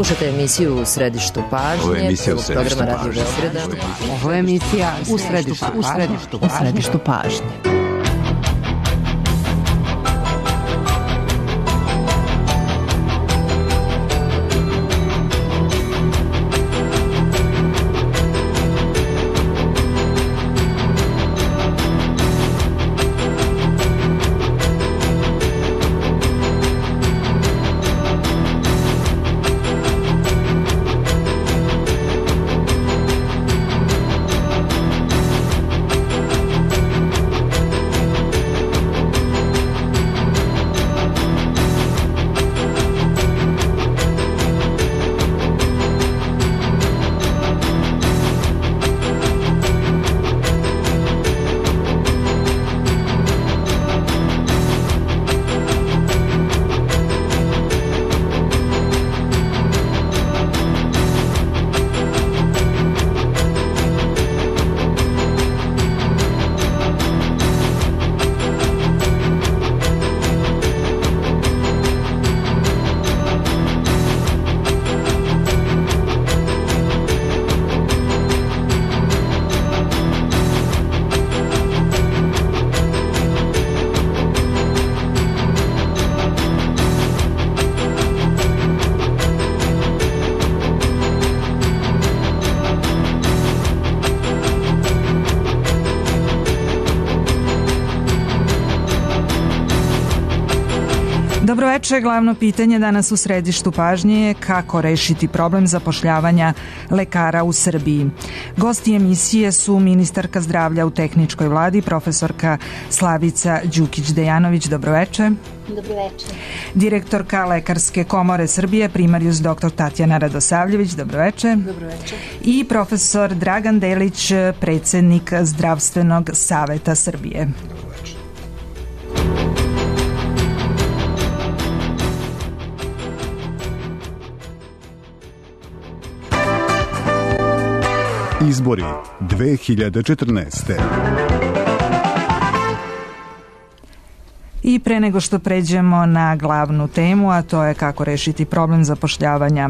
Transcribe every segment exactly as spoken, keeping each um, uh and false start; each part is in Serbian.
Slušate emisiju U središtu pažnje. Ovo je emisija U središtu pažnje. Ovo je emisija U središtu pažnje. U središtu pažnje. Dobro večer, glavno pitanje danas u središtu pažnje je kako rešiti problem zapošljavanja lekara u Srbiji. Gosti emisije su ministarka zdravlja u tehničkoj vladi, profesorka Slavica Đukić-Dejanović. Dobro večer. Dobro večer. Direktorka Lekarske komore Srbije, primarijus doktor Tatjana Radosavljević. Dobro večer. Dobro večer. I profesor Dragan Delić, predsednik Zdravstvenog saveta Srbije. Izbori dve hiljade četrnaeste. I pre nego što pređemo na glavnu temu, a to je kako rešiti problem zapošljavanja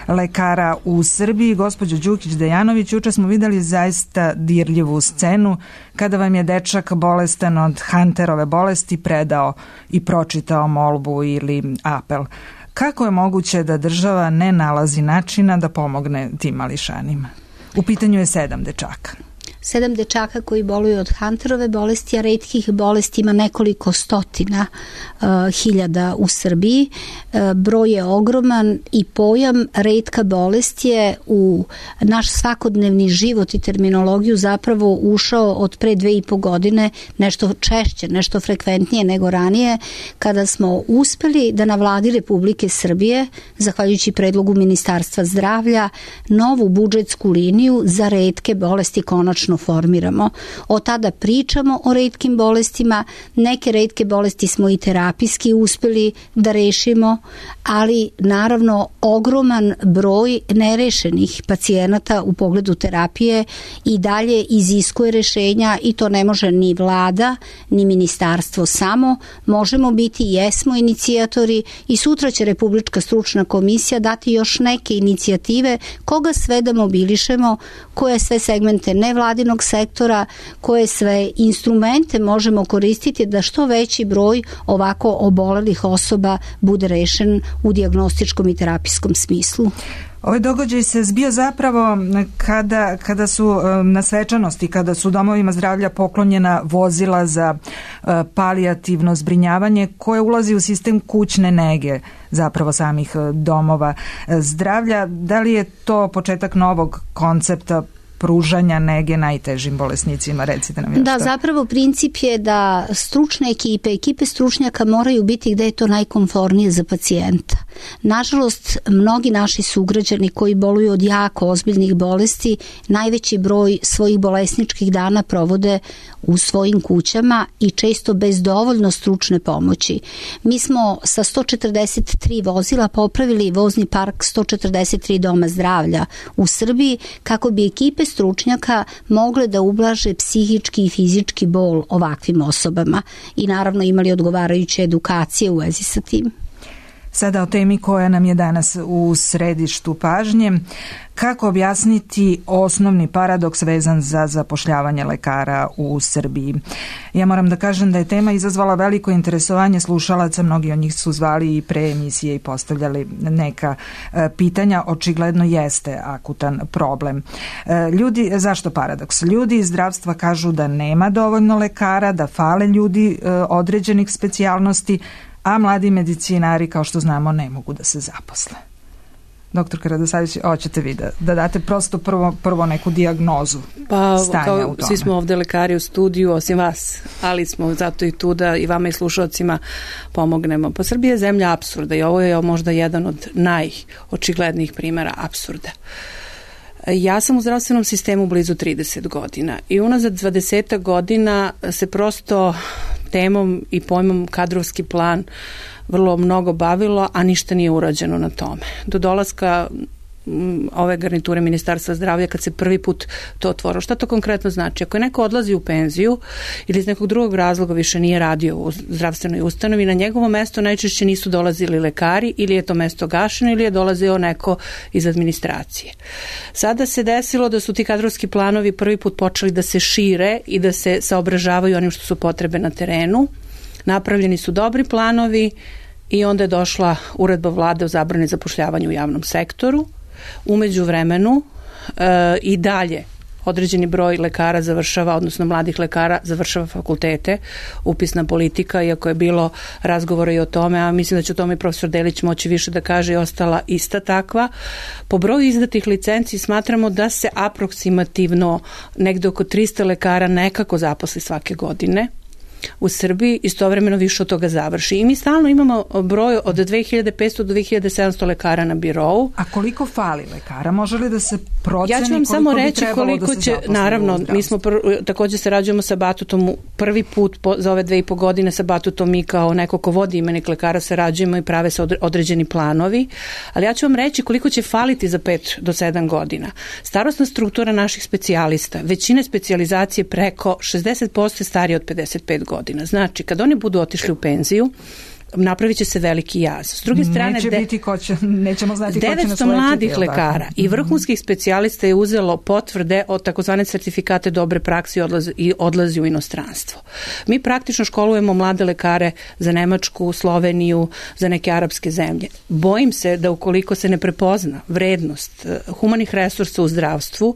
lekara u Srbiji, gospođo Đukić-Dejanović, juče smo videli zaista dirljivu scenu kada vam je dečak bolestan od Hunterove bolesti predao i pročitao molbu ili apel. Kako je moguće da država ne nalazi načina da pomogne tim mališanima? U pitanju je sedam dečaka. Sedam dečaka koji boluju od Hunterove bolesti, a retkih bolesti ima nekoliko stotina uh, hiljada u Srbiji. Uh, broj je ogroman i pojam retka bolest je u naš svakodnevni život i terminologiju zapravo ušao od pre dve i po godine nešto češće, nešto frekventnije nego ranije, kada smo uspeli da na vladi Republike Srbije, zahvaljujući predlogu Ministarstva zdravlja, novu budžetsku liniju za retke bolesti konačno formiramo. Od tada pričamo o retkim bolestima, neke retke bolesti smo i terapijski uspeli da rešimo, ali naravno ogroman broj nerešenih pacijenata u pogledu terapije i dalje iziskuje rešenja i to ne može ni vlada, ni ministarstvo samo. Možemo biti, jesmo inicijatori i sutra će Republička stručna komisija dati još neke inicijative koga sve da mobilišemo, koje sve segmente nevladinog sektora, koje sve instrumente možemo koristiti da što veći broj ovako obolelih osoba bude rešen u dijagnostičkom i terapijskom smislu. Ovaj događaj se zbio zapravo kada, kada su na svečanosti, kada su domovima zdravlja poklonjena vozila za palijativno zbrinjavanje koje ulazi u sistem kućne nege zapravo samih domova zdravlja. Da li je to početak novog koncepta pružanja nege najtežim bolesnicima? Recite nam još Da, što. zapravo princip je da stručne ekipe, ekipe stručnjaka moraju biti gde je to najkomfornije za pacijenta. Nažalost, mnogi naši sugrađani koji boluju od jako ozbiljnih bolesti, najveći broj svojih bolesničkih dana provode u svojim kućama i često bez dovoljno stručne pomoći. Mi smo sa sto četrdeset tri vozila popravili vozni park sto četrdeset tri doma zdravlja u Srbiji kako bi ekipe stručnjaka mogle da ublaže psihički i fizički bol ovakvim osobama i naravno imali odgovarajuće edukacije u vezi sa tim. Sada o temi koja nam je danas u središtu pažnje. Kako objasniti osnovni paradoks vezan za zapošljavanje lekara u Srbiji? Ja moram da kažem da je tema izazvala veliko interesovanje slušalaca, mnogi od njih su zvali i pre emisije i postavljali neka e, pitanja, očigledno jeste akutan problem. E, ljudi, zašto paradoks? Ljudi iz zdravstva kažu da nema dovoljno lekara, da fale ljudi e, određenih specijalnosti, a mladi medicinari, kao što znamo, ne mogu da se zaposle. Doktor Radosavljević, hoćete vi da, da date prosto prvo, prvo neku dijagnozu pa, stanja kao, u tome? Svi smo ovde lekari u studiju, osim vas, ali smo zato i tu da i vama i slušalcima pomognemo. Pa Srbija je zemlja apsurda i ovo je možda jedan od najočiglednijih primjera apsurda. Ja sam u zdravstvenom sistemu blizu trideset godina i unazad dvadeset godina se prosto temom i pojmom kadrovski plan vrlo mnogo bavilo, a ništa nije urađeno na tome. Do dolaska ove garniture Ministarstva zdravlja, kad se prvi put to otvorilo. Šta to konkretno znači? Ako je neko odlazi u penziju ili iz nekog drugog razloga više nije radio u zdravstvenoj ustanovi, na njegovo mesto najčešće nisu dolazili lekari ili je to mesto gašeno ili je dolazio neko iz administracije. Sada se desilo da su ti kadrovski planovi prvi put počeli da se šire i da se saobražavaju onim što su potrebe na terenu. Napravljeni su dobri planovi i onda je došla uredba vlade o zabrani zapošljavanja u javnom sektoru. Umeđu vremenu e, i dalje određeni broj lekara završava, odnosno mladih lekara završava fakultete, upisna politika, iako je bilo razgovora i o tome, a mislim da će o tome i profesor Delić moći više da kaže, i ostala ista takva. Po broju izdatih licenci smatramo da se aproksimativno negde oko trista lekara nekako zaposli svake godine u Srbiji, istovremeno više od toga završi. I mi stalno imamo broj od dve hiljade petsto do dve hiljade sedamsto lekara na birou. A koliko fali lekara? Može li da se proceni? Ja ću vam samo reći koliko da će, naravno, mi smo pr, također sarađujemo sa Batutom prvi put po, za ove dve i po godine sa Batutom, mi kao neko ko vodi imenik lekara sarađujemo i prave se određeni planovi, ali ja ću vam reći koliko će faliti za pet do sedam godina. Starosna struktura naših specijalista, većine specijalizacije preko šezdeset posto starije od pedeset pet godina. Znači, kad oni budu otišli u penziju, napravit će se veliki jaz. S druge strane, Neće de, biti ko će, nećemo znati ko će nas devetsto mladih lekara tako. I vrhunskih specijalista je uzelo potvrde od takozvane certifikate dobre prakse i odlazi, i odlazi u inostranstvo. Mi praktično školujemo mlade lekare za Nemačku, Sloveniju, za neke arapske zemlje. Bojim se da ukoliko se ne prepozna vrednost humanih resursa u zdravstvu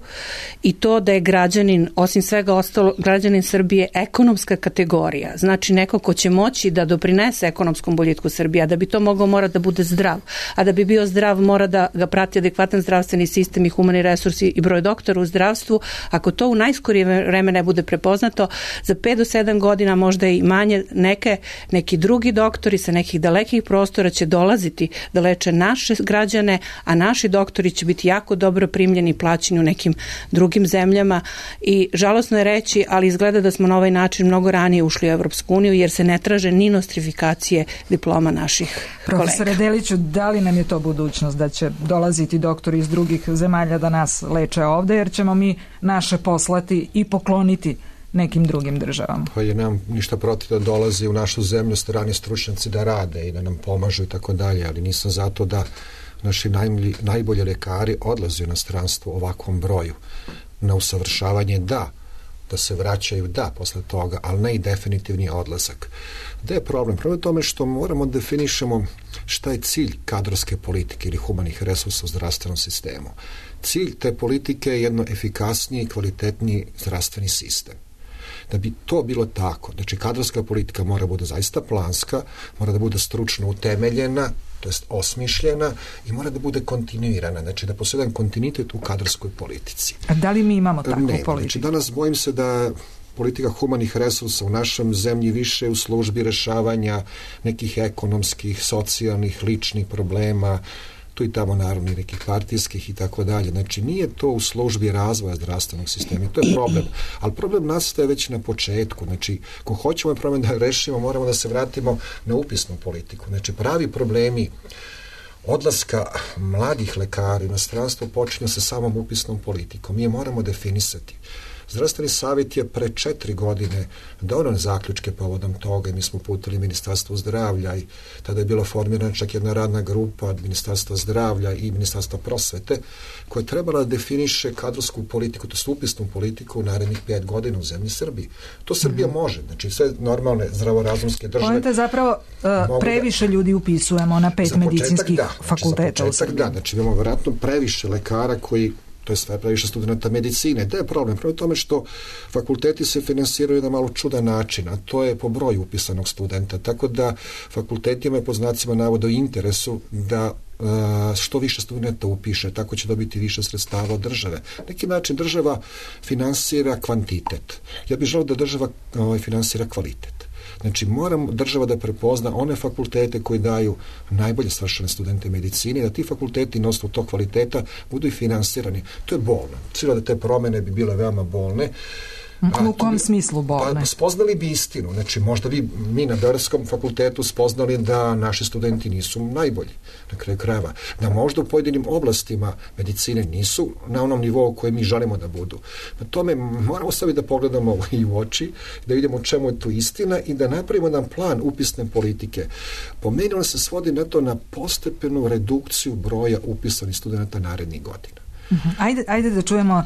i to da je građanin, osim svega ostalo, građanin Srbije ekonomska kategorija, znači neko ko će moći da doprinese ekonomskom boljitku Srbije, a da bi to mogao mora da bude zdrav, a da bi bio zdrav mora da ga prati adekvatan zdravstveni sistem i humani resursi i broj doktora u zdravstvu. Ako to u najskorije vreme ne bude prepoznato, za pet do sedam godina, možda i manje, neke, neki drugi doktori sa nekih dalekih prostora će dolaziti da leče naše građane, a naši doktori će biti jako dobro primljeni i plaćeni u nekim drugim zemljama i žalosno je reći, ali izgleda da smo na ovaj način mnogo ranije ušli u Evropsku uniju jer se ne traže ni nostrifikacije diploma naših kolega. Profesore Deliću, da li nam je to budućnost da će dolaziti doktori iz drugih zemalja da nas leče ovde, jer ćemo mi naše poslati i pokloniti nekim drugim državama? Pa je nam ništa protiv da dolazi u našu zemlju strani stručnjaci da rade i da nam pomažu i tako dalje, ali nisam zato da naši najbolji, najbolji lekari odlaze u inostranstvo u ovakvom broju. Na usavršavanje da, da se vraćaju da posle toga, ali ne i definitivni odlazak. Gde je problem? Problem je tome što moramo definišemo šta je cilj kadrovske politike ili humanih resursa u zdravstvenom sistemu. Cilj te politike je jedno efikasniji i kvalitetniji zdravstveni sistem. Da bi to bilo tako, znači kadrovska politika mora bude zaista planska, mora da bude stručno utemeljena, to jest osmišljena i mora da bude kontinuirana, znači da postoji jedan kontinuitet u kadrovskoj politici. A da li mi imamo takvu ne, politiku? Znači danas bojim se da politika humanih resursa u našem zemlji više u službi rešavanja nekih ekonomskih, socijalnih, ličnih problema, tu i tamo naravno i nekih partijskih i tako dalje. Znači nije to u službi razvoja zdravstvenog sistema i to je problem. Ali problem nastaje već na početku. Znači, ko hoćemo problem da rešimo, moramo da se vratimo na upisnu politiku. Znači, pravi problemi odlaska mladih lekara u inostranstvo počinju sa samom upisnom politikom. Mi je moramo definisati. Zdravstveni savjet je pre četiri godine doneo zaključke povodom toga i mi smo uputili Ministarstvo zdravlja i tada je bila formirana čak jedna radna grupa od Ministarstva zdravlja i Ministarstva prosvete koja je trebala da definiše kadrovsku politiku, to je upisnu politiku u narednih pet godina u zemlji Srbiji. To Srbija mm-hmm. može, znači sve normalne zdravorazumske države. Pojenta je zapravo uh, previše da, ljudi upisujemo na pet medicinskih da, fakulteta. Znači, za početak da, znači imamo vjerojatno previše lekara koji, to je sve previše studenta medicine. Da je problem? Prvo tome što fakulteti se finansiraju na malo čudan način, a to je po broju upisanog studenta. Tako da fakultetima je po znacima navoda u interesu da uh, što više studenta upiše, tako će dobiti više sredstava od države. Na neki način država finansira kvantitet. Ja bih želeo da država uh, finansira kvalitet. Znači, moram država da prepozna one fakultete koji daju najbolje svršene studente medicine i da ti fakulteti na osnovu tog kvaliteta budu i finansirani. To je bolno. Sigurno da te promene bi bile veoma bolne. A, u kom smislu bolne? Pa, spoznali bi istinu. Znači, možda bi mi na Beogradskom fakultetu spoznali da naši studenti nisu najbolji na kraju krajeva. Da možda u pojedinim oblastima medicine nisu na onom nivou koje mi želimo da budu. Na tome moramo sebi da pogledamo i u oči, da vidimo u čemu je tu istina i da napravimo nam plan upisne politike. Po meni on se svodi na to na postepenu redukciju broja upisanih studenta narednih godina. Ajde, ajde da čujemo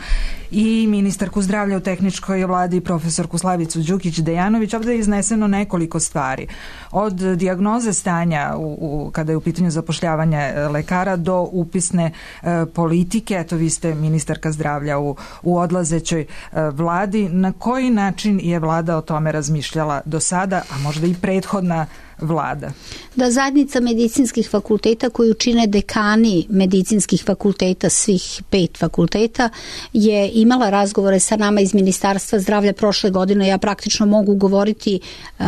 i ministarku zdravlja u tehničkoj vladi, profesorku Slavicu Đukić-Dejanović. Ovdje je izneseno nekoliko stvari. Od dijagnoze stanja u, u, kada je u pitanju zapošljavanja lekara do upisne e, politike. Eto, vi ste ministarka zdravlja u, u odlazećoj e, vladi. Na koji način je vlada o tome razmišljala do sada, a možda i prethodna vlada? Da zajednica medicinskih fakulteta koju čine dekani medicinskih fakulteta, svih pet fakulteta, je imala razgovore sa nama iz Ministarstva zdravlja prošle godine. Ja praktično mogu govoriti uh,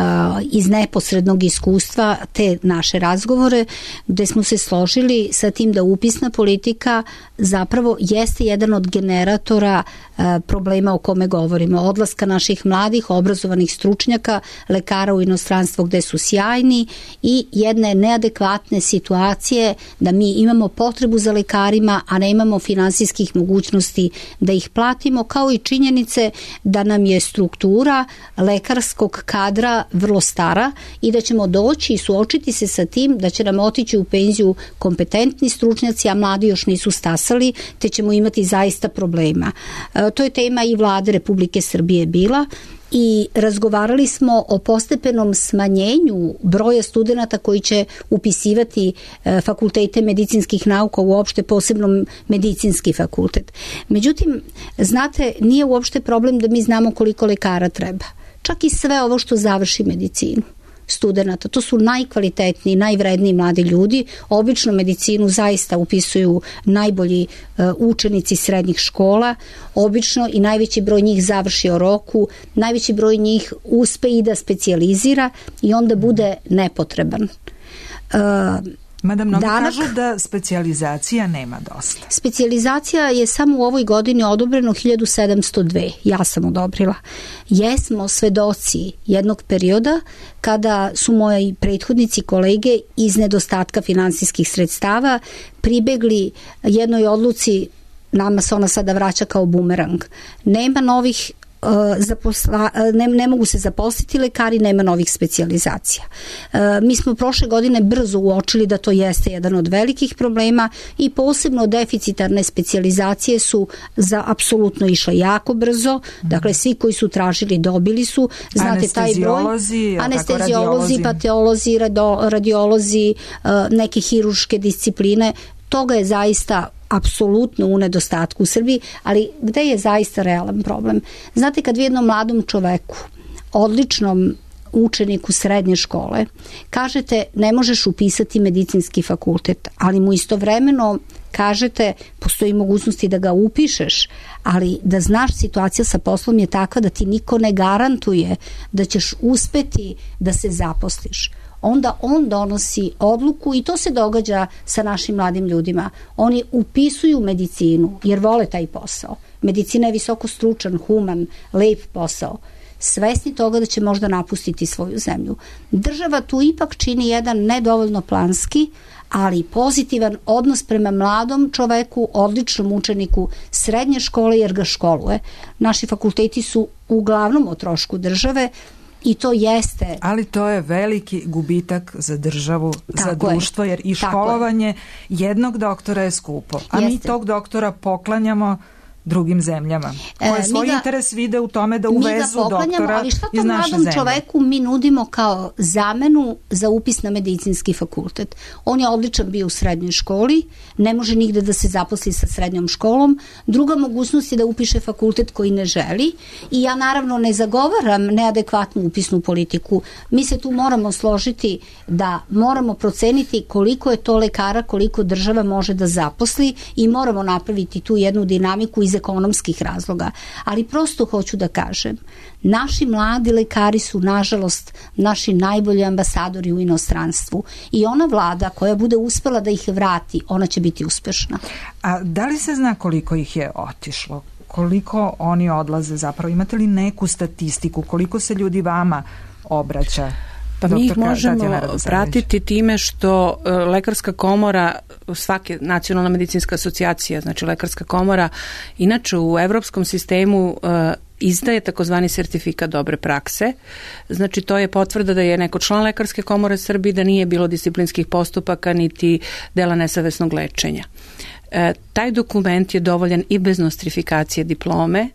iz neposrednog iskustva te naše razgovore, gde smo se složili sa tim da upisna politika zapravo jeste jedan od generatora uh, problema o kome govorimo. Odlaska naših mladih, obrazovanih stručnjaka, lekara u inostranstvo gde su sjajni i jedne neadekvatne situacije da mi imamo potrebu za lekarima, a ne imamo finansijskih mogućnosti da ih platimo, kao i činjenice da nam je struktura lekarskog kadra vrlo stara i da ćemo doći i suočiti se sa tim da će nam otići u penziju kompetentni stručnjaci, a mladi još nisu stasali, te ćemo imati zaista problema. E, to je tema i vlade Republike Srbije bila. I razgovarali smo o postepenom smanjenju broja studenata koji će upisivati e, fakultete medicinskih nauka, uopšte posebno medicinski fakultet. Međutim, znate, nije uopšte problem da mi znamo koliko lekara treba. Čak i sve ovo što završi medicinu studenata, to su najkvalitetniji, najvredniji mladi ljudi. Obično medicinu zaista upisuju najbolji uh, učenici srednjih škola. Obično i najveći broj njih završi o roku, najveći broj njih uspe i da specijalizira i onda bude nepotreban. Uh, Mada mnogi Danak, kažu da specijalizacija nema dosta. Specijalizacija je samo u ovoj godini odobreno hiljadu sedamsto dve. Ja sam odobrila. Jesmo svedoci jednog perioda kada su moji prethodnici, kolege, iz nedostatka finansijskih sredstava pribegli jednoj odluci, nama se ona sada vraća kao bumerang. Nema novih Zaposla, ne, ne mogu se zaposliti lekari, nema novih specijalizacija. E, mi smo prošle godine brzo uočili da to jeste jedan od velikih problema i posebno deficitarne specijalizacije su za apsolutno išle jako brzo. Dakle, svi koji su tražili dobili su. Znate, taj broj, anesteziolozi, pateolozi, radio, radiolozi, neke hiruške discipline, toga je zaista apsolutno u nedostatku u Srbiji, ali gde je zaista realan problem? Znate, kad vi jednom mladom čoveku, odličnom učeniku srednje škole, kažete ne možeš upisati medicinski fakultet, ali mu istovremeno kažete postoji mogućnosti da ga upišeš, ali da znaš situacija sa poslom je takva da ti niko ne garantuje da ćeš uspeti da se zaposliš. Onda on donosi odluku i to se događa sa našim mladim ljudima. Oni upisuju medicinu jer vole taj posao. Medicina je visoko stručan, human, lep posao. svesni toga da će možda napustiti svoju zemlju. Država tu ipak čini jedan nedovoljno planski, ali pozitivan odnos prema mladom čoveku, odličnom učeniku srednje škole, jer ga školuje. Naši fakulteti su uglavnom o trošku države i to jeste... Ali to je veliki gubitak za državu, Tako za društvo, je. jer i školovanje jednog doktora je skupo. A Jeste. mi tog doktora poklanjamo drugim zemljama, koje E, svoj ga, interes vide u tome da uvezu doktora ali šta iz to naše mladom zemlje. čoveku mi nudimo kao zamenu za upis na medicinski fakultet? On je odličan bio u srednjoj školi, ne može nigde da se zaposli sa srednjom školom. Druga mogućnost je da upiše fakultet koji ne želi i ja naravno ne zagovaram neadekvatnu upisnu politiku. Mi se tu moramo složiti da moramo proceniti koliko je to lekara, koliko država može da zaposli i moramo napraviti tu jednu dinamiku iz ekonomskih razloga. Ali prosto hoću da kažem, naši mladi lekari su nažalost naši najbolji ambasadori u inostranstvu i ona vlada koja bude uspela da ih vrati, ona će biti uspešna. A da li se zna koliko ih je otišlo? Koliko oni odlaze zapravo? Imate li neku statistiku? Koliko se ljudi vama obraća? Pa mi ih možemo pratiti time što uh, Lekarska komora, svake nacionalna medicinska asocijacija, znači Lekarska komora, inače u evropskom sistemu uh, izdaje takozvani sertifikat dobre prakse. Znači to je potvrda da je neko član Lekarske komore Srbije, da nije bilo disciplinskih postupaka niti dela nesavesnog lečenja. E, taj dokument je dovoljan i bez nostrifikacije diplome,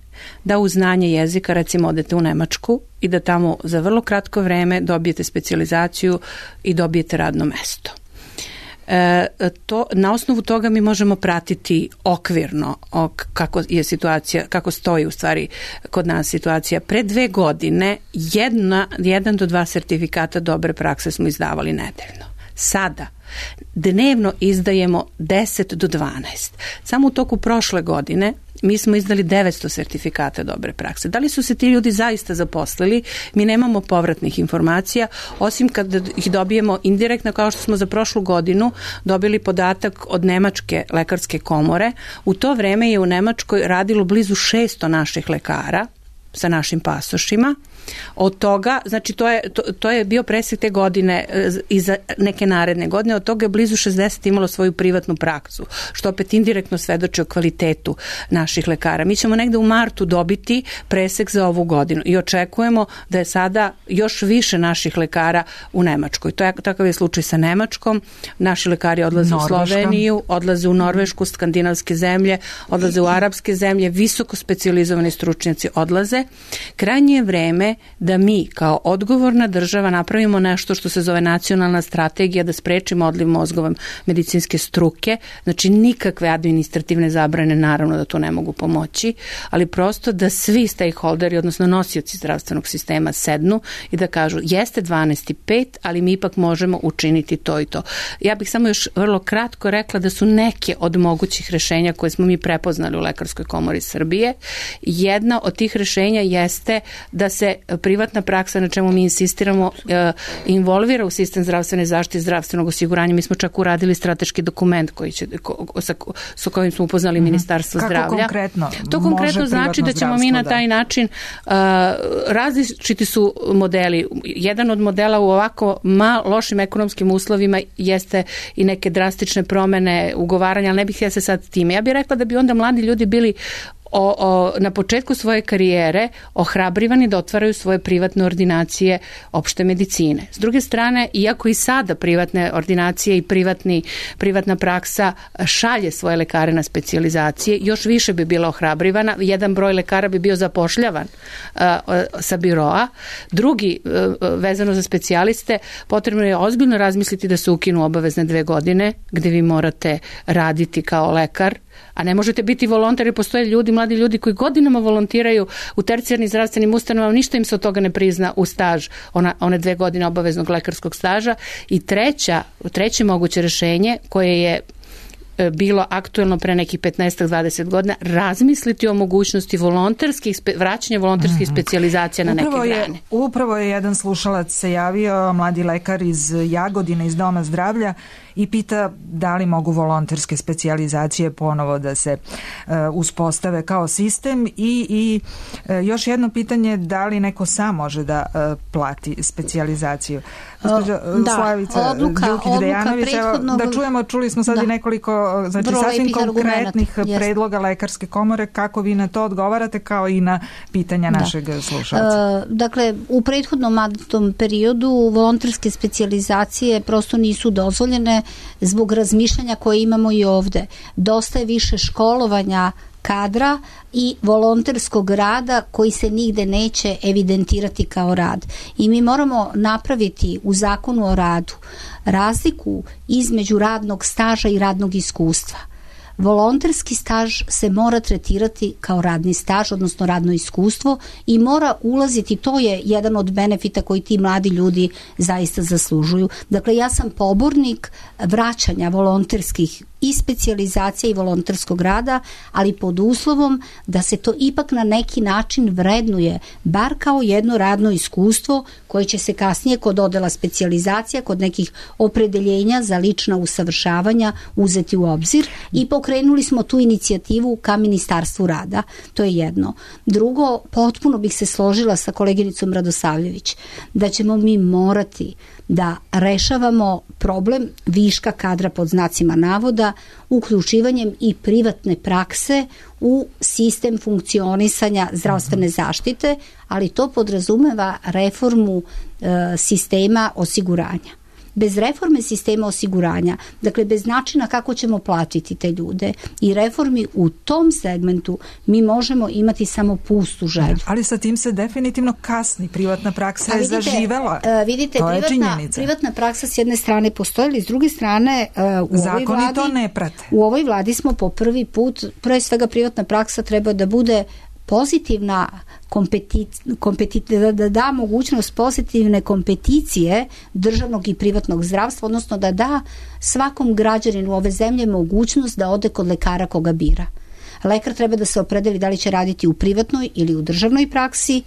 da uz znanje jezika recimo odete u Nemačku i da tamo za vrlo kratko vreme dobijete specijalizaciju i dobijete radno mesto. E, to, na osnovu toga mi možemo pratiti okvirno ok, kako je situacija, kako stoji u stvari kod nas situacija. Pre dve godine jedna, jedan do dva sertifikata dobre prakse smo izdavali nedeljno. Sada dnevno izdajemo deset do dvanaest. Samo u toku prošle godine mi smo izdali devetsto sertifikata dobre prakse. Da li su se ti ljudi zaista zaposlili? Mi nemamo povratnih informacija, osim kad ih dobijemo indirektno, kao što smo za prošlu godinu dobili podatak od Nemačke lekarske komore. U to vreme je u Nemačkoj radilo blizu šesto naših lekara sa našim pasošima. Od toga, znači to je, to, to je bio presek te godine i za neke naredne godine, od toga je blizu šezdeset imalo svoju privatnu praksu, što opet indirektno svedoči o kvalitetu naših lekara. Mi ćemo negde u martu dobiti presek za ovu godinu i očekujemo da je sada još više naših lekara u Nemačkoj. To je, takav je slučaj sa Nemačkom. Naši lekari odlaze Norveška. u Sloveniju, odlaze u Norvešku, skandinavske zemlje, odlaze u arapske zemlje, visoko specijalizovani stručnjaci odlaze. Krajnje je vreme da mi kao odgovorna država napravimo nešto što se zove nacionalna strategija da sprečimo odliv mozgova medicinske struke. Znači nikakve administrativne zabrane naravno da to ne mogu pomoći, ali prosto da svi stakeholderi, odnosno nosioci zdravstvenog sistema sednu i da kažu jeste dvanaest i pet, ali mi ipak možemo učiniti to i to. Ja bih samo još vrlo kratko rekla da su neke od mogućih rešenja koje smo mi prepoznali u Lekarskoj komori Srbije. Jedna od tih rešenja jeste da se privatna praksa, na čemu mi insistiramo, involvira u sistem zdravstvene zaštite i zdravstvenog osiguranja. Mi smo čak uradili strateški dokument koji će, ko, sa, sa kojim smo upoznali mm-hmm. Ministarstvo Kako zdravlja. Konkretno to konkretno znači da ćemo mi na taj način, uh, različiti su modeli. Jedan od modela u ovako mal, lošim ekonomskim uslovima jeste i neke drastične promene ugovaranja, ali ne bih ja se sad time. Ja bih rekla da bi onda mladi ljudi bili O, o, na početku svoje karijere ohrabrivani da otvaraju svoje privatne ordinacije opšte medicine. S druge strane, iako i sada privatne ordinacije i privatni, privatna praksa šalje svoje lekare na specijalizacije, još više bi bila ohrabrivana. Jedan broj lekara bi bio zapošljavan uh, sa biroa. Drugi, uh, vezano za specijaliste, potrebno je ozbiljno razmisliti da se ukinu obavezne dve godine gde vi morate raditi kao lekar, a ne možete biti volonter, jer postoje ljudi, mladi ljudi koji godinama volontiraju u tercijarnim zdravstvenim ustanovama, ništa im se od toga ne prizna u staž, ona, one dve godine obaveznog lekarskog staža. I treća, treće moguće rešenje koje je bilo aktuelno pre nekih petnaest do dvadeset godina, razmisliti o mogućnosti volonterskih, vraćanja volonterskih mm-hmm. specijalizacija na upravo neke grane. Je, upravo je jedan slušalac se javio, mladi lekar iz Jagodine, iz Doma zdravlja, i pita da li mogu volonterske specijalizacije ponovo da se uh, uspostave kao sistem i, i uh, još jedno pitanje, da li neko sam može da uh, plati specijalizaciju. Gospođa da, Slavica Đukić-Dejanović, prethodnog... da čujemo, čuli smo sad da. i nekoliko znači, sasvim konkretnih predloga Lekarske komore, kako vi na to odgovarate kao i na pitanja da. našeg slušalca. Uh, dakle, u prethodnom mandatnom periodu volonterske specijalizacije prosto nisu dozvoljene zbog razmišljanja koje imamo i ovde. Dosta je više školovanja kadra i volonterskog rada koji se nigde neće evidentirati kao rad. I mi moramo napraviti u zakonu o radu razliku između radnog staža i radnog iskustva. Volonterski staž se mora tretirati kao radni staž, odnosno radno iskustvo, i mora ulaziti, to je jedan od benefita koji ti mladi ljudi zaista zaslužuju. Dakle, ja sam pobornik vraćanja volonterskih i specijalizacija i volonterskog rada, ali pod uslovom da se to ipak na neki način vrednuje, bar kao jedno radno iskustvo koje će se kasnije kod dodela specijalizacija, kod nekih opredeljenja za lična usavršavanja uzeti u obzir, i pokrenuli smo tu inicijativu ka Ministarstvu rada. To je jedno. Drugo, potpuno bih se složila sa koleginicom Radosavljević da ćemo mi morati da rešavamo problem viška kadra pod znacima navoda uključivanjem i privatne prakse u sistem funkcionisanja zdravstvene zaštite, ali to podrazumeva reformu e, sistema osiguranja. Bez reforme sistema osiguranja, dakle bez načina kako ćemo platiti te ljude i reformi u tom segmentu, mi možemo imati samo pustu želju. Ali sa tim se definitivno kasni. Privatna praksa je zaživela. Uh, vidite, to privatna, je činjenica. Privatna praksa s jedne strane postoji, ali s druge strane uh, u zakoni ovoj vladi, to ne prate. U ovoj vladi smo po prvi put, pre svega privatna praksa treba da bude pozitivna kompeticija, da, da da mogućnost pozitivne kompeticije državnog i privatnog zdravstva, odnosno da da svakom građaninu ove zemlje mogućnost da ode kod lekara koga bira. Lekar treba da se opredeli da li će raditi u privatnoj ili u državnoj praksi.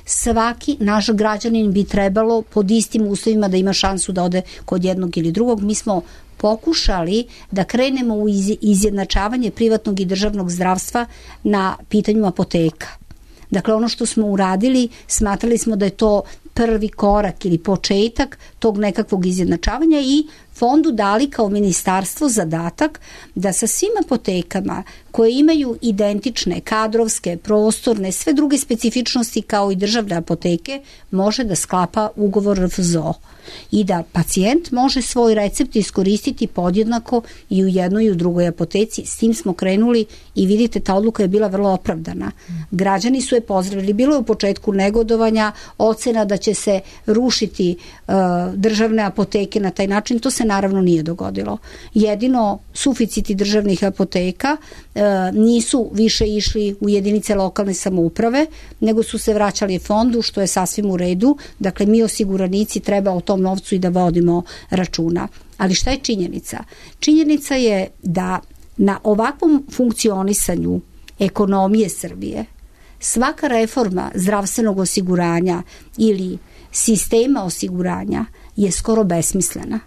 Svaki naš građanin bi trebalo pod istim uslovima da ima šansu da ode kod jednog ili drugog. Mi smo pokušali da krenemo u izjednačavanje privatnog i državnog zdravstva na pitanju apoteka. Dakle, ono što smo uradili, smatrali smo da je to prvi korak ili početak tog nekakvog izjednačavanja i fondu dali kao ministarstvo zadatak da sa svim apotekama koje imaju identične kadrovske, prostorne, sve druge specifičnosti kao i državne apoteke može da sklapa ugovor R F Z O i da pacijent može svoj recept iskoristiti podjednako i u jednoj i u drugoj apoteci. S tim smo krenuli i vidite, ta odluka je bila vrlo opravdana. Građani su je pozdravili. Bilo je u početku negodovanja, ocena da će se rušiti uh, državne apoteke na taj način. To se naravno nije dogodilo. Jedino suficiti državnih apoteka uh, nisu više išli u jedinice lokalne samouprave, nego su se vraćali fondu, što je sasvim u redu. Dakle, mi osiguranici treba o tom novcu i da vodimo računa. Ali šta je činjenica? Činjenica je da na ovakvom funkcionisanju ekonomije Srbije svaka reforma zdravstvenog osiguranja ili sistema osiguranja je skoro besmislena.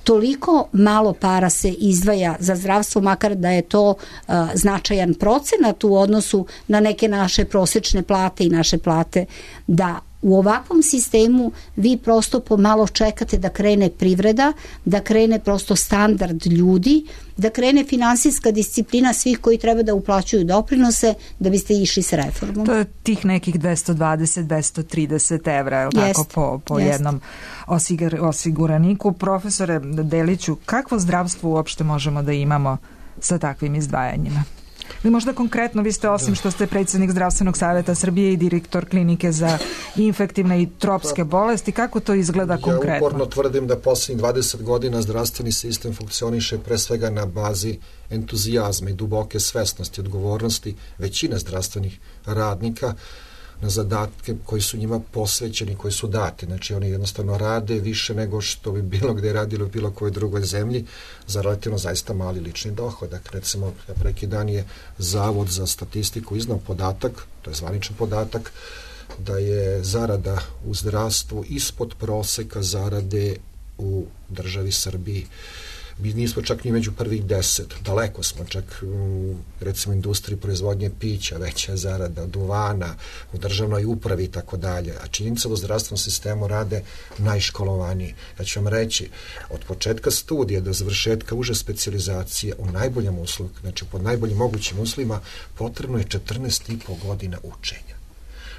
Toliko malo para se izdvaja za zdravstvo, makar da je to uh, značajan procenat u odnosu na neke naše prosečne plate i naše plate, da u ovakvom sistemu vi prosto pomalo čekate da krene privreda, da krene prosto standard ljudi, da krene finansijska disciplina svih koji treba da uplaćuju doprinose da biste išli s reformom. To je tih nekih dvesta dvadeset do dvesta trideset evra, je li tako, po, po jednom osigur, osiguraniku. Profesore Deliću, kakvo zdravstvo uopšte možemo da imamo sa takvim izdvajanjima? Ili možda konkretno, vi ste, osim što ste predsjednik Zdravstvenog savjeta Srbije i direktor klinike za infektivne i tropske bolesti, kako to izgleda konkretno? Ja uporno tvrdim da posljednjih dvadeset godina zdravstveni sistem funkcioniše pre svega na bazi entuzijazma i duboke svesnosti, odgovornosti većine zdravstvenih radnika na zadatke koji su njima posvećeni, koji su dati. Znači oni jednostavno rade više nego što bi bilo gde radili u bilo kojoj drugoj zemlji za relativno zaista mali lični dohodak. Recimo, preki dan je Zavod za statistiku iznao podatak, to je zvaničan podatak, da je zarada u zdravstvu ispod proseka zarade u državi Srbiji. Mi nismo čak ni među prvih deset, daleko smo čak u, recimo, industriji proizvodnje pića, veća zarada, duvana, u državnoj upravi i tako dalje. A činjenica da u zdravstvenom sistemu rade najškolovaniji. Ja ću vam reći, od početka studija do završetka uže specijalizacije u najboljem uslovu, znači pod najboljim mogućim uslovima, potrebno je četrnaest i po godina učenja.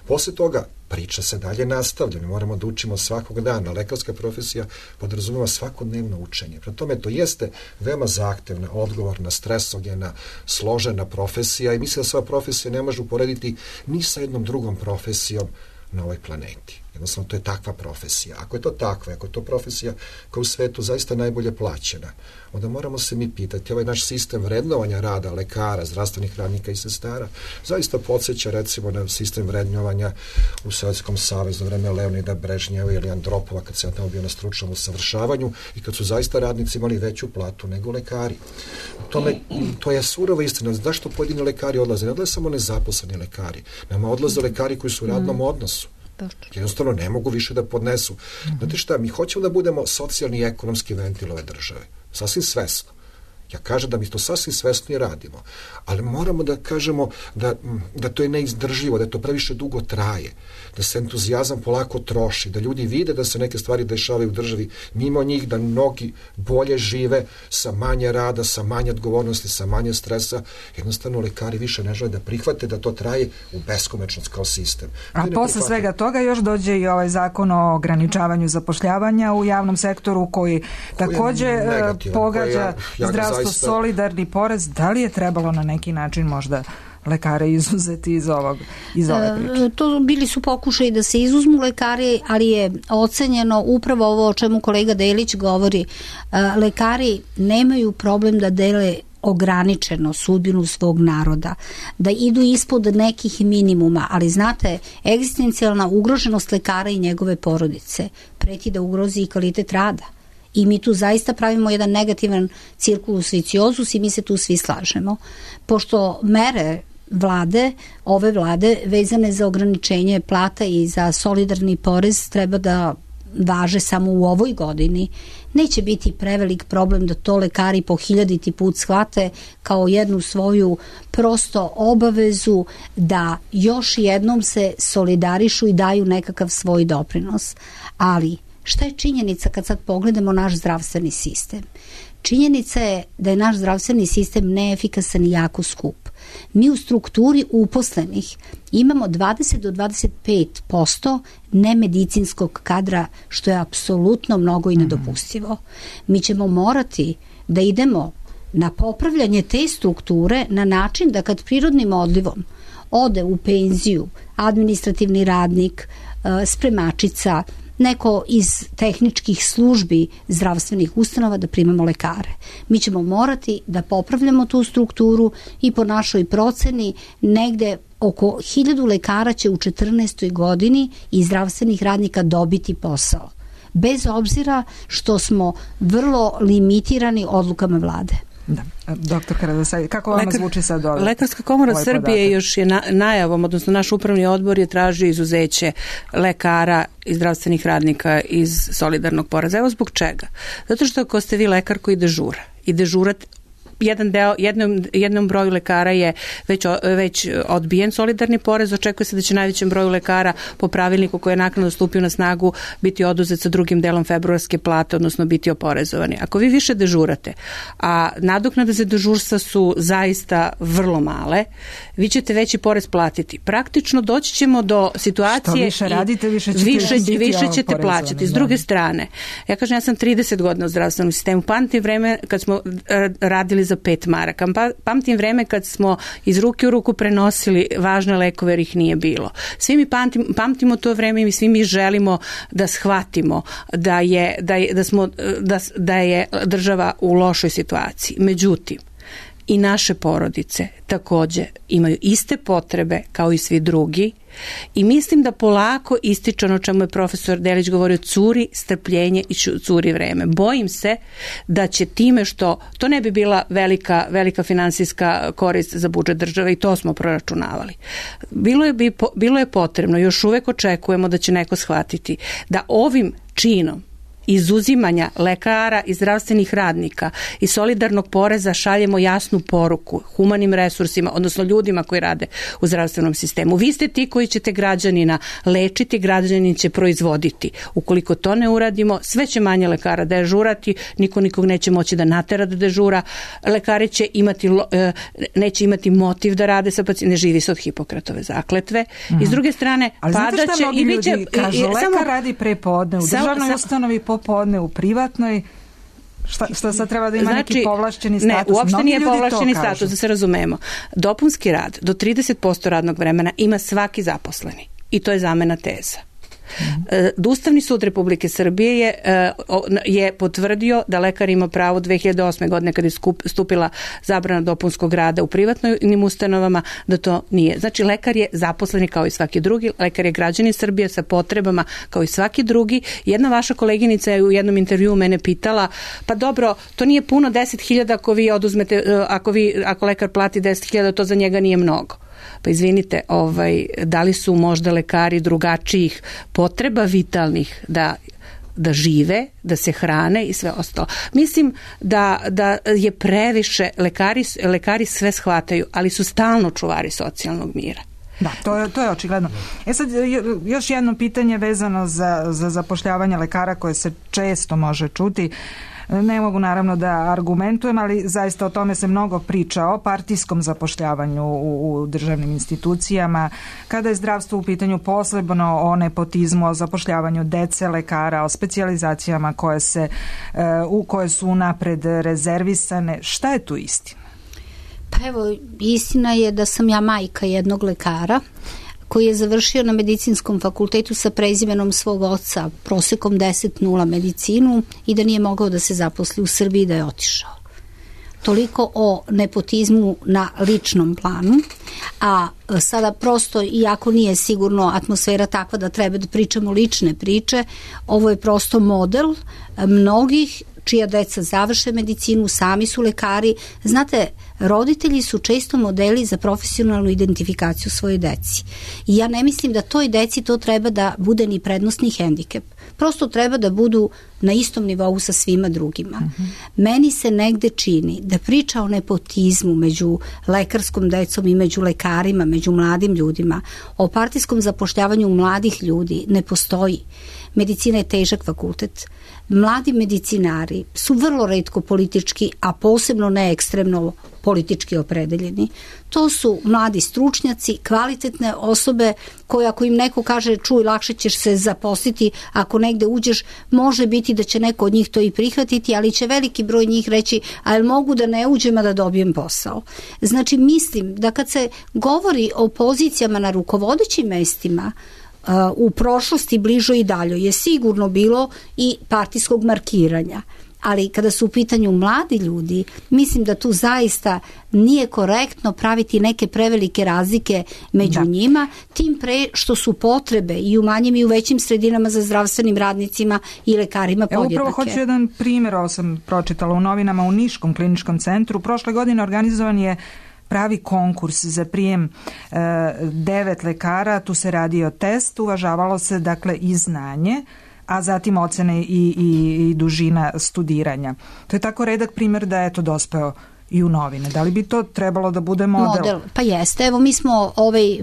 Posle toga priča se dalje nastavlja, mi moramo da učimo svakog dana. Lekarska profesija podrazumeva svakodnevno učenje. Prema tome, to jeste veoma zahtevna, odgovorna, stresogena, složena profesija i mislim da sva profesija ne može uporediti ni sa jednom drugom profesijom na ovoj planeti. Jednostavno, to je takva profesija. Ako je to takva, ako je to profesija koja u svetu zaista najbolje plaćena, onda moramo se mi pitati, ovaj naš sistem vrednovanja rada lekara, zdravstvenih radnika i sestara, zaista podsjeća recimo na sistem vrednovanja u Sovjetskom savezu, vreme Leonida Brežnjeva ili Andropova, kad se ja tamo bio na stručnom usavršavanju i kad su zaista radnici imali veću platu nego lekari. Tome, to je surova istina. Zašto pojedini lekari odlaze? Ne odlaze samo nezaposleni lekari. Nama odlaze lekari koji su u radnom odnosu. Jednostavno ne mogu više da podnesu. Znate šta, mi hoćemo da budemo socijalni i ekonomski ventil ove države. Sasvim svesno. Ja kažem da mi to sasvim svesno i radimo. Ali moramo da kažemo da, da to je neizdrživo, da to previše dugo traje, da se entuzijazam polako troši, da ljudi vide da se neke stvari dešavaju u državi mimo njih, da mnogi bolje žive sa manje rada, sa manje odgovornosti, sa manje stresa. Jednostavno lekari više ne žele da prihvate da to traje u beskomečnost kao sistem. A posle svega toga još dođe i ovaj zakon o ograničavanju zapošljavanja u javnom sektoru koji takođe pogađa zdravstvo, zaista... solidarni porez. Da li je trebalo na neki način možda lekare izuzeti iz ovog iz ove priče? To bili su pokušaji da se izuzmu lekari, ali je ocenjeno upravo ovo o čemu kolega Delić govori. Lekari nemaju problem da dele ograničeno sudbinu svog naroda, da idu ispod nekih minimuma, ali znate, egzistencijalna ugroženost lekara i njegove porodice preti da ugrozi i kvalitet rada. I mi tu zaista pravimo jedan negativan cirkulus viciozus i mi se tu svi slažemo. Pošto mere vlade, ove vlade vezane za ograničenje plata i za solidarni porez treba da važe samo u ovoj godini, neće biti prevelik problem da to lekari po hiljaditi put shvate kao jednu svoju prosto obavezu da još jednom se solidarišu i daju nekakav svoj doprinos. Ali šta je činjenica kad sad pogledamo naš zdravstveni sistem? Činjenica je da je naš zdravstveni sistem neefikasan i jako skup. Mi u strukturi uposlenih imamo dvadeset do dvadeset pet posto nemedicinskog kadra, što je apsolutno mnogo i nedopustivo. Mi ćemo morati da idemo na popravljanje te strukture na način da kad prirodnim odlivom ode u penziju administrativni radnik, spremačica, neko iz tehničkih službi zdravstvenih ustanova da primamo lekare. Mi ćemo morati da popravljamo tu strukturu i po našoj proceni negde oko hiljadu lekara će u četrnaestoj godini i zdravstvenih radnika dobiti posao. Bez obzira što smo vrlo limitirani odlukama vlade. Da. Doktor Karadosaj, kako vama Lekar, zvuči sad ovaj Lekarska komora ovaj Srbije podatak? Još je na, najavom, odnosno naš upravni odbor je tražio izuzeće lekara i zdravstvenih radnika iz solidarnog poreza. Evo zbog čega? Zato što ako ste vi lekar koji dežura i dežurat jedan deo, jednom, jednom broju lekara je već, već odbijen solidarni porez, očekuje se da će najvećem broju lekara po pravilniku koji je naknadno stupio na snagu biti oduzet sa drugim delom februarske plate, odnosno biti oporezovani. Ako vi više dežurate, a nadoknade za dežurstva su zaista vrlo male, vi ćete veći porez platiti. Praktično doći ćemo do situacije... Što više radite, više ćete, više, biti više ćete plaćati. S druge strane, ja kažem, ja sam trideset godina u zdravstvenom sistemu, pamtim vreme kad smo radili za pet maraka. Pamtim vreme kad smo iz ruke u ruku prenosili važne lekove jer ih nije bilo. Svi mi pamtim, pamtimo to vreme i svi mi želimo da shvatimo da je, da je, da smo, da, da je država u lošoj situaciji. Međutim, i naše porodice takođe imaju iste potrebe kao i svi drugi i mislim da polako ističe ono čemu je profesor Delić govorio, curi strpljenje i curi vreme. Bojim se da će time što, to ne bi bila velika, velika finansijska korist za budžet države i to smo proračunavali. Bilo je, bi, bilo je potrebno, još uvek očekujemo da će neko shvatiti da ovim činom izuzimanja lekara i zdravstvenih radnika i solidarnog poreza šaljemo jasnu poruku humanim resursima, odnosno ljudima koji rade u zdravstvenom sistemu. Vi ste ti koji ćete građanina lečiti, građanin će proizvoditi. Ukoliko to ne uradimo, sve će manje lekara dežurati, niko nikog neće moći da natera da dežura, lekari će imati, neće imati motiv da rade sa pacijentima, ne živi se od Hipokratove zakletve. Mm. I s druge strane, padaće i biće... Ljudi kažu, lekar samo, radi prepodne u državnoj sam, ustanovi, popodne u privatnoj. Šta, šta sad treba da ima znači, neki povlašćeni status? Ne, uopšte Mnogi nije povlašćeni status, da se razumemo. Dopunski rad do trideset posto radnog vremena ima svaki zaposleni. I to je zamena teza. Mm. Ustavni sud Republike Srbije je, je potvrdio da lekar ima pravo dve hiljade osme godine kada je stupila zabrana dopunskog rada u privatnim ustanovama, da to nije. Znači lekar je zaposleni kao i svaki drugi, lekar je građanin Srbije sa potrebama kao i svaki drugi. Jedna vaša koleginica je u jednom intervjuu mene pitala, pa dobro, to nije puno deset hiljada ako vi oduzmete, ako, vi, ako lekar plati deset hiljada, to za njega nije mnogo. Pa izvinite, ovaj, da li su možda lekari drugačijih potreba vitalnih da da žive, da se hrane i sve ostalo. Mislim da, da je previše, lekari, lekari sve shvataju, ali su stalno čuvari socijalnog mira. Da, to je, to je očigledno. E sad, još jedno pitanje vezano za, za zapošljavanje lekara koje se često može čuti. Ne mogu naravno da argumentujem, ali zaista o tome se mnogo priča, o partijskom zapošljavanju u, u državnim institucijama, kada je zdravstvo u pitanju, posebno o nepotizmu, o zapošljavanju dece lekara, o specijalizacijama koje, se, u koje su napred rezervisane. Šta je tu istina? Pa evo, istina je da sam ja majka jednog lekara koji je završio na medicinskom fakultetu sa prezimenom svog oca, prosekom deset nula medicinu, i da nije mogao da se zaposli u Srbiji, da je otišao. Toliko o nepotizmu na ličnom planu, a sada prosto, iako nije sigurno atmosfera takva da treba da pričamo lične priče, ovo je prosto model mnogih čija deca završe medicinu, sami su lekari. Znate, roditelji su često modeli za profesionalnu identifikaciju svoje deci. I ja ne mislim da toj deci to treba da bude ni prednostni hendikep. Prosto treba da budu na istom nivou sa svima drugima. Uh-huh. Meni se negde čini da priča o nepotizmu među lekarskom decom i među lekarima, među mladim ljudima, o partijskom zapošljavanju mladih ljudi ne postoji. Medicina je težak fakultet. Mladi medicinari su vrlo retko politički, a posebno ne ekstremno politički opredeljeni. To su mladi stručnjaci, kvalitetne osobe koje ako im neko kaže čuj, lakše ćeš se zaposliti, ako negde uđeš, može biti da će neko od njih to i prihvatiti, ali će veliki broj njih reći, a jel mogu da ne uđem, a da dobijem posao. Znači mislim da kad se govori o pozicijama na rukovodećim mestima, u prošlosti bližoj i daljoj je sigurno bilo i partijskog markiranja. Ali kada su u pitanju mladi ljudi, mislim da tu zaista nije korektno praviti neke prevelike razlike među da. njima, tim pre što su potrebe i u manjim i u većim sredinama za zdravstvenim radnicima i lekarima podjednake. Evo upravo hoću jedan primjer, ovo sam pročitala u novinama, u Niškom kliničkom centru. Prošle godine organizovan je pravi konkurs za prijem e, devet lekara, tu se radi o testu, uvažavalo se dakle i znanje, a zatim ocene i, i, i dužina studiranja. To je tako redak primjer da je to dospeo i u novine. Da li bi to trebalo da bude model? Model, pa jeste. Evo mi smo ovaj,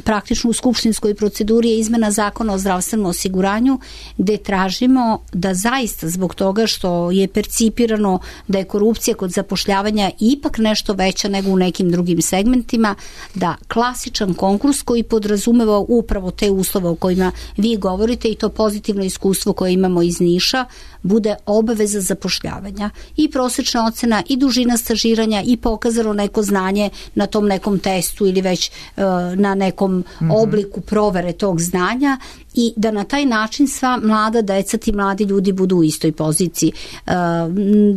praktično u skupštinskoj proceduri je izmena zakona o zdravstvenom osiguranju gde tražimo da zaista zbog toga što je percipirano da je korupcija kod zapošljavanja ipak nešto veća nego u nekim drugim segmentima, da klasičan konkurs koji podrazumeva upravo te uslove o kojima vi govorite i to pozitivno iskustvo koje imamo iz Niša bude obaveza zapošljavanja i prosečna ocena i dužina stažiranja i pokazano neko znanje na tom nekom testu ili već uh, na nekom mm-hmm. obliku provere tog znanja i da na taj način sva mlada deca, ti mladi ljudi budu u istoj poziciji. Uh,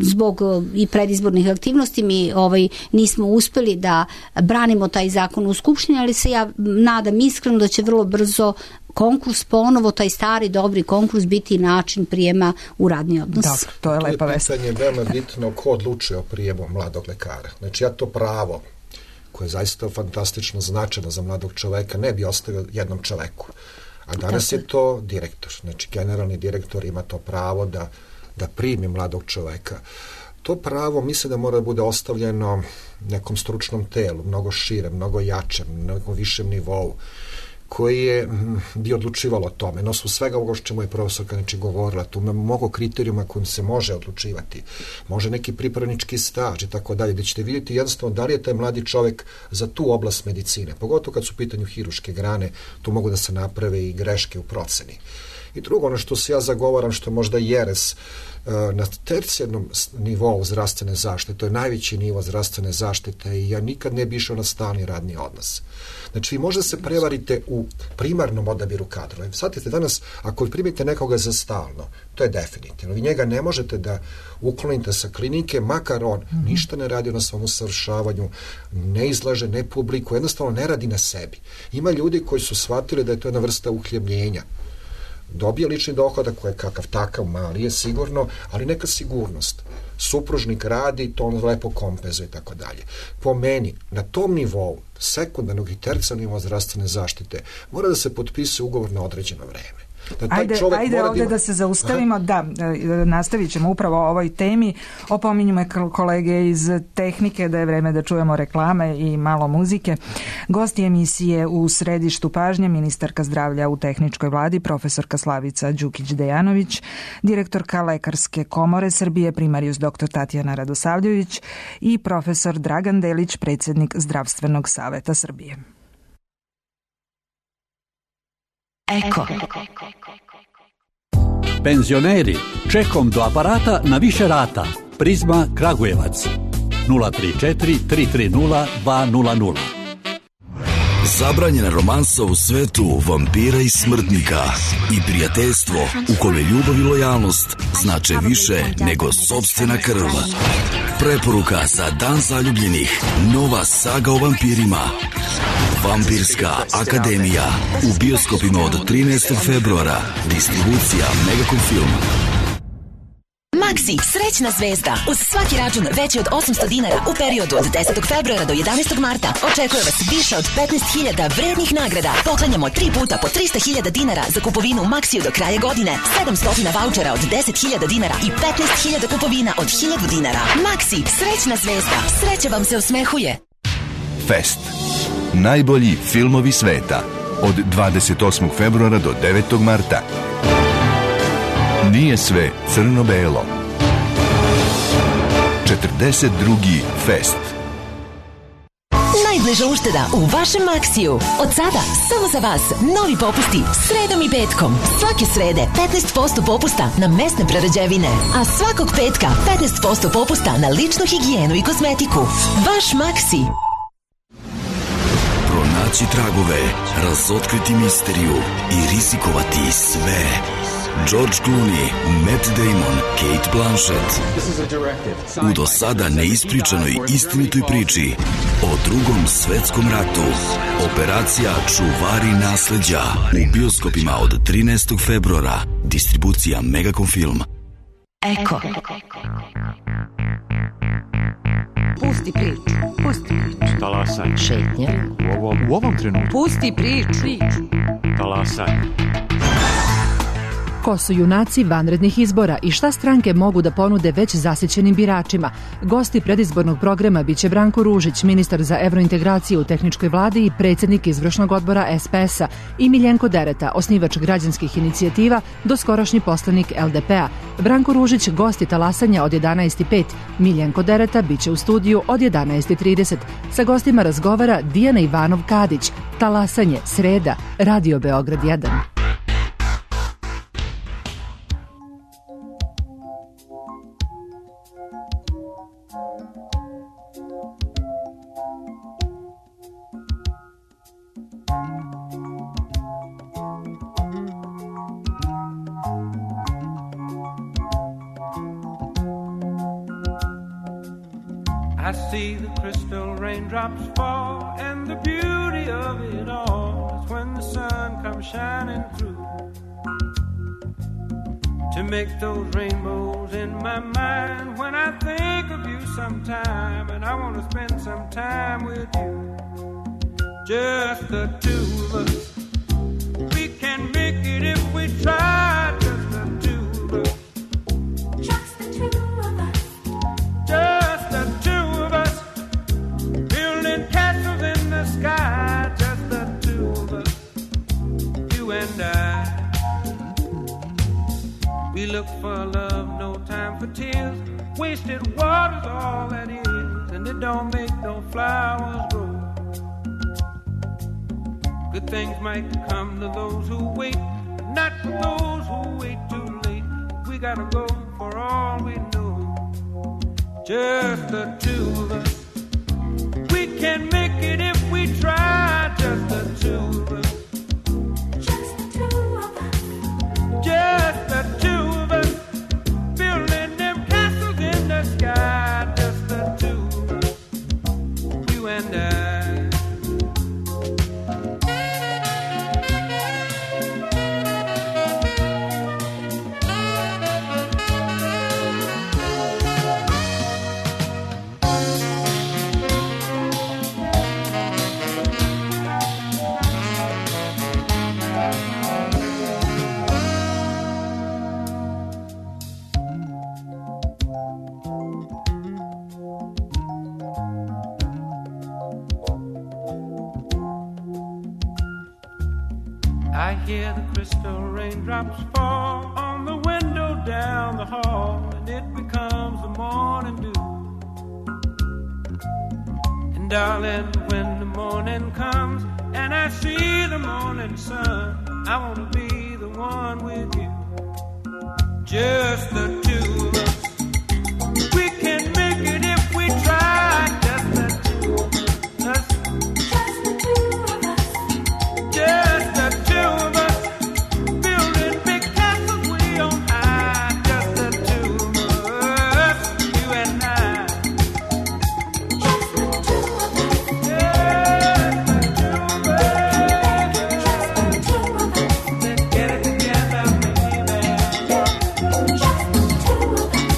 zbog uh, i predizbornih aktivnosti mi ovaj, nismo uspeli da branimo taj zakon u Skupštini, ali se ja nadam iskreno da će vrlo brzo konkurs ponovo, taj stari dobri konkurs biti način prijema u radni odnos. Da, to je lepa vest. To je pitanje veoma bitno ko odlučuje o prijemu mladog lekara. Znači ja to pravo koje je zaista fantastično značajno za mladog čoveka ne bi ostavio jednom čoveku. A danas je to direktor. Znači, generalni direktor ima to pravo da, da primi mladog čoveka. To pravo mislim da mora da bude ostavljeno nekom stručnom telu, mnogo šire, mnogo jačem, na nekom višem nivou, koji je bi odlučivalo o tome. No, su svega ovoga što čemu je profesorka znači, govorila, tu ima mnogo kriterijuma kojim se može odlučivati. Može neki pripravnički staž i tako dalje, gde ćete vidjeti jednostavno da li je taj mladi čovek za tu oblast medicine. Pogotovo kad su u pitanju hiruške grane, tu mogu da se naprave i greške u proceni. I drugo, ono što se ja zagovaram, što je možda jeres, na tercijarnom nivou zdravstvene zaštite, to je najveći nivo zdravstvene zaštite i ja nikad ne bi išao na stalni radni odnos. Znači, vi možda se prevarite u primarnom odabiru kadrova. Shvatite, danas, ako primite nekoga za stalno, to je definitivno. Vi njega ne možete da uklonite sa klinike, makar on mm-hmm. ništa ne radi na svom usavršavanju, ne izlaže, ne publikuje, jednostavno ne radi na sebi. Ima ljudi koji su shvatili da je to jedna vrsta uhljebljenja. Dobije lični dohodak koji je kakav takav mali je sigurno, ali neka sigurnost. Supružnik radi, to on lepo kompenzuje i tako dalje. Po meni, na tom nivou, sekundarnog i tercijarnog nivoa zdravstvene zaštite, mora da se potpisuje ugovor na određeno vreme. Da ajde ajde ovdje da se zaustavimo. Aha. Da, nastavit ćemo upravo o ovoj temi. Opominju me kolege iz tehnike da je vreme da čujemo reklame i malo muzike. Gosti emisije u središtu pažnje ministarka zdravlja u tehničkoj vladi profesorka Slavica Đukić-Dejanović, direktorka Lekarske komore Srbije primarijus doktor Tatjana Radosavljević i profesor Dragan Delić, predsjednik Zdravstvenog saveta Srbije. Eko. Penzioneri, čekom do aparata na više rata. Prizma Kragujevac. nula tri četiri tri tri nula dva nula nula. Zabranjena romansa u svetu vampira i smrtnika i prijateljstvo u kome ljubav i lojalnost znače više nego sopstvena krv. Preporuka za Dan zaljubljenih. Nova saga o vampirima. Vampirska akademija u bioskopima od trinaestog februara. Distribucija Megacom Film. Maxi, srećna zvezda. Uz svaki račun veći od osamsto dinara u periodu od desetog februara do jedanaestog marta očekuje vas više od petnaest hiljada vrednih nagrada. Poklanjamo tri puta po trista hiljada dinara za kupovinu u Maxiju do kraja godine, sedamsto vaučera od deset hiljada dinara i petnaest hiljada kupovina od hiljadu dinara. Maxi, srećna zvezda. Sreća vam se osmehuje. Fest. Najbolji filmovi sveta. Od dvadeset osmog februara do devetog marta. Nije sve crno-belo. četrdeset drugi Fest. Najbliža ušteda u vašem Maxiju. Od sada, samo za vas, novi popusti sredom i petkom. Svake srede petnaest posto popusta na mesne prerađevine, a svakog petka petnaest posto popusta na ličnu higijenu i kozmetiku. Vaš Maxi. Pronaći tragove, razotkriti misteriju i rizikovati sve. George Clooney, Matt Damon, Kate Blanchett. U do sada neispričanoj istinitoj priči o drugom svetskom ratu. Operacija Čuvari nasleđa u bioskopima od trinaestog februara. Distribucija Megacom Film. Eko. Pusti priču. Pusti priču. Talasaj. Šetnja. U ovom, u ovom trenutku. Pusti priču. Talasaj. Ko su junaci vanrednih izbora i šta stranke mogu da ponude već zasićenim biračima? Gosti predizbornog programa biće Branko Ružić, ministar za evrointegraciju u tehničkoj vladi i predsjednik izvršnog odbora es pe es a, i Miljenko Dereta, osnivač građanskih inicijativa, doskorašnji poslanik el de pe a. Branko Ružić gosti talasanja od jedanaest i pet. Miljenko Dereta biće u studiju od jedanaest i trideset. Sa gostima razgovara Dijana Ivanov-Kadić. Talasanje, sreda, Radio Beograd jedan. I see the crystal raindrops fall, and the beauty of it all is when the sun comes shining through to make those rainbows in my mind. When I think of you sometime, and I want to spend some time with you, just the two of us, We can make it if we try, just the two of us. Just the two of us. Just the two of us. Building castles in the sky, just the two of us. You and I. We look for love, no time for tears. Wasted water's all that is, and it don't make no flowers grow. Good things might come to those who wait, but not for those who wait too late. We gotta go for all we know. Just the two of us. We can make it if we try, just the two of us. Just the two of us. Just the two of us. Building them castles in the sky, just the two of us. You and I. I hear the crystal raindrops fall on the window down the hall, and it becomes the morning dew. And darling, when the morning comes and I see the morning sun, I want to be the one with you. Just the two of us. We can make it if we try, just the two of us. Just the two of us. Just the two of us. Building big castles way on high, just the two of us. You and I. Just the two of us. Just the two of us. Just the two of us. Let's get it together, baby. Just the two of us. Just the two of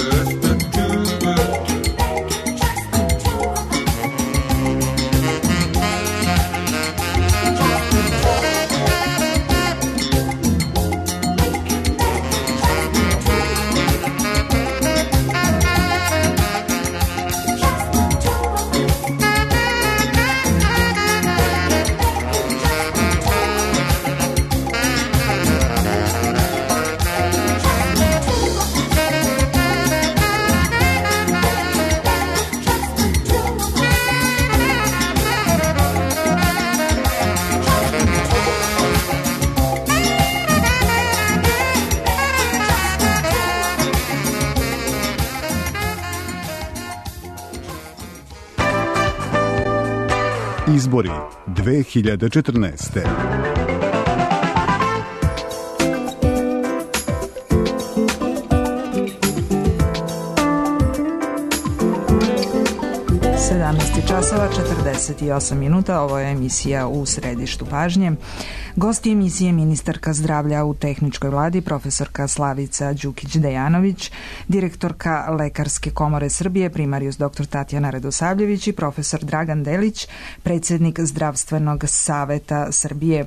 us. Just the two of us. Izbori dve hiljade četrnaeste. sedamnaest časova četrdeset osam minuta, ovo je emisija U središtu pažnje. Gosti emisije ministarka zdravlja u tehničkoj vladi, profesorka Slavica Đukić-Dejanović, direktorka Lekarske komore Srbije, primarijus doktor Tatjana Radosavljević i profesor Dragan Delić, predsjednik Zdravstvenog saveta Srbije.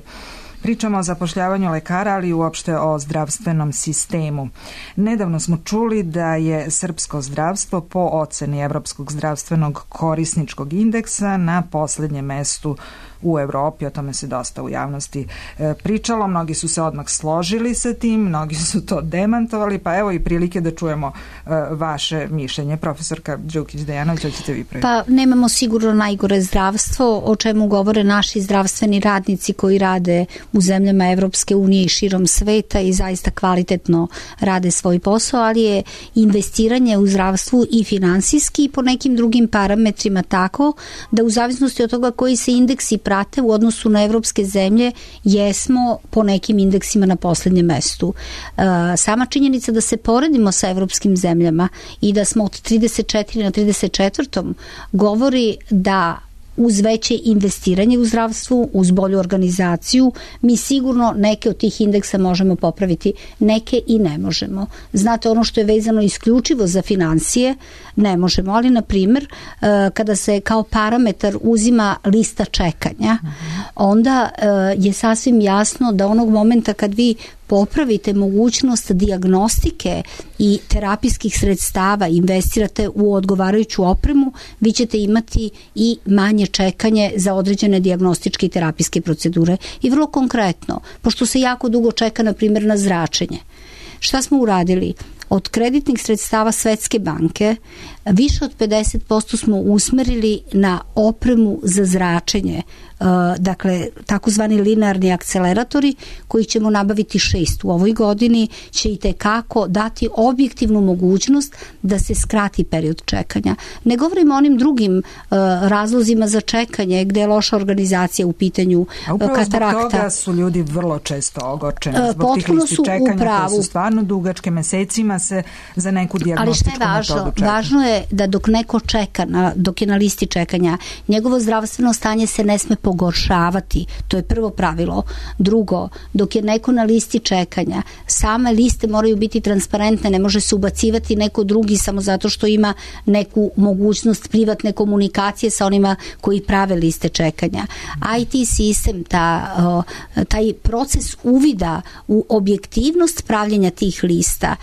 Pričamo o zapošljavanju lekara, ali i uopšte o zdravstvenom sistemu. Nedavno smo čuli da je srpsko zdravstvo po oceni Evropskog zdravstvenog korisničkog indeksa na posljednjem mestu u Evropi. O tome se dosta u javnosti e, pričalo. Mnogi su se odmah složili sa tim, mnogi su to demantovali, pa evo i prilike da čujemo e, vaše mišljenje. Profesorka Đukić-Dejanović, hoćete vi prvi? Pa nemamo sigurno najgore zdravstvo, o čemu govore naši zdravstveni radnici koji rade u zemljama Evropske unije i širom sveta i zaista kvalitetno rade svoj posao, ali je investiranje u zdravstvu i finansijski i po nekim drugim parametrima tako da u zavisnosti od toga koji se indeksi prate u odnosu na evropske zemlje jesmo po nekim indeksima na poslednjem mestu. Sama činjenica da se poredimo sa evropskim zemljama i da smo od trideset četiri na trideset četvrtom govori da uz veće investiranje u zdravstvu, uz bolju organizaciju, mi sigurno neke od tih indeksa možemo popraviti, neke i ne možemo. Znate, ono što je vezano isključivo za financije, ne možemo, ali na primjer, kada se kao parametar uzima lista čekanja, onda e, je sasvim jasno da onog momenta kad vi popravite mogućnost dijagnostike i terapijskih sredstava, investirate u odgovarajuću opremu, vi ćete imati i manje čekanje za određene dijagnostičke i terapijske procedure. I vrlo konkretno, pošto se jako dugo čeka, na primjer, na zračenje, šta smo uradili? Od kreditnih sredstava Svetske banke više od pedeset posto smo usmerili na opremu za zračenje, dakle takozvani linearni akceleratori koji ćemo nabaviti šest u ovoj godini, će i tekako dati objektivnu mogućnost da se skrati period čekanja. Ne govorimo o onim drugim uh, razlozima za čekanje gde je loša organizacija u pitanju A upravo katarakta. Zbog toga su ljudi vrlo često ogorčeni, zbog uh, tih listi čekanja upravu. koje su stvarno dugačke, mesecima se za neku dijagnostičku metodu čeka. Ali šta je važno? Važno je da dok neko čeka, na, dok je na listi čekanja, njegovo zdravstveno stanje se ne sme pogoršavati. To je prvo pravilo. Drugo, dok je neko na listi čekanja, same liste moraju biti transparentne, ne može se ubacivati neko drugi samo zato što ima neku mogućnost privatne komunikacije sa onima koji prave liste čekanja. I T sistem, ta, taj proces uvida u objektivnost pravljenja tih lista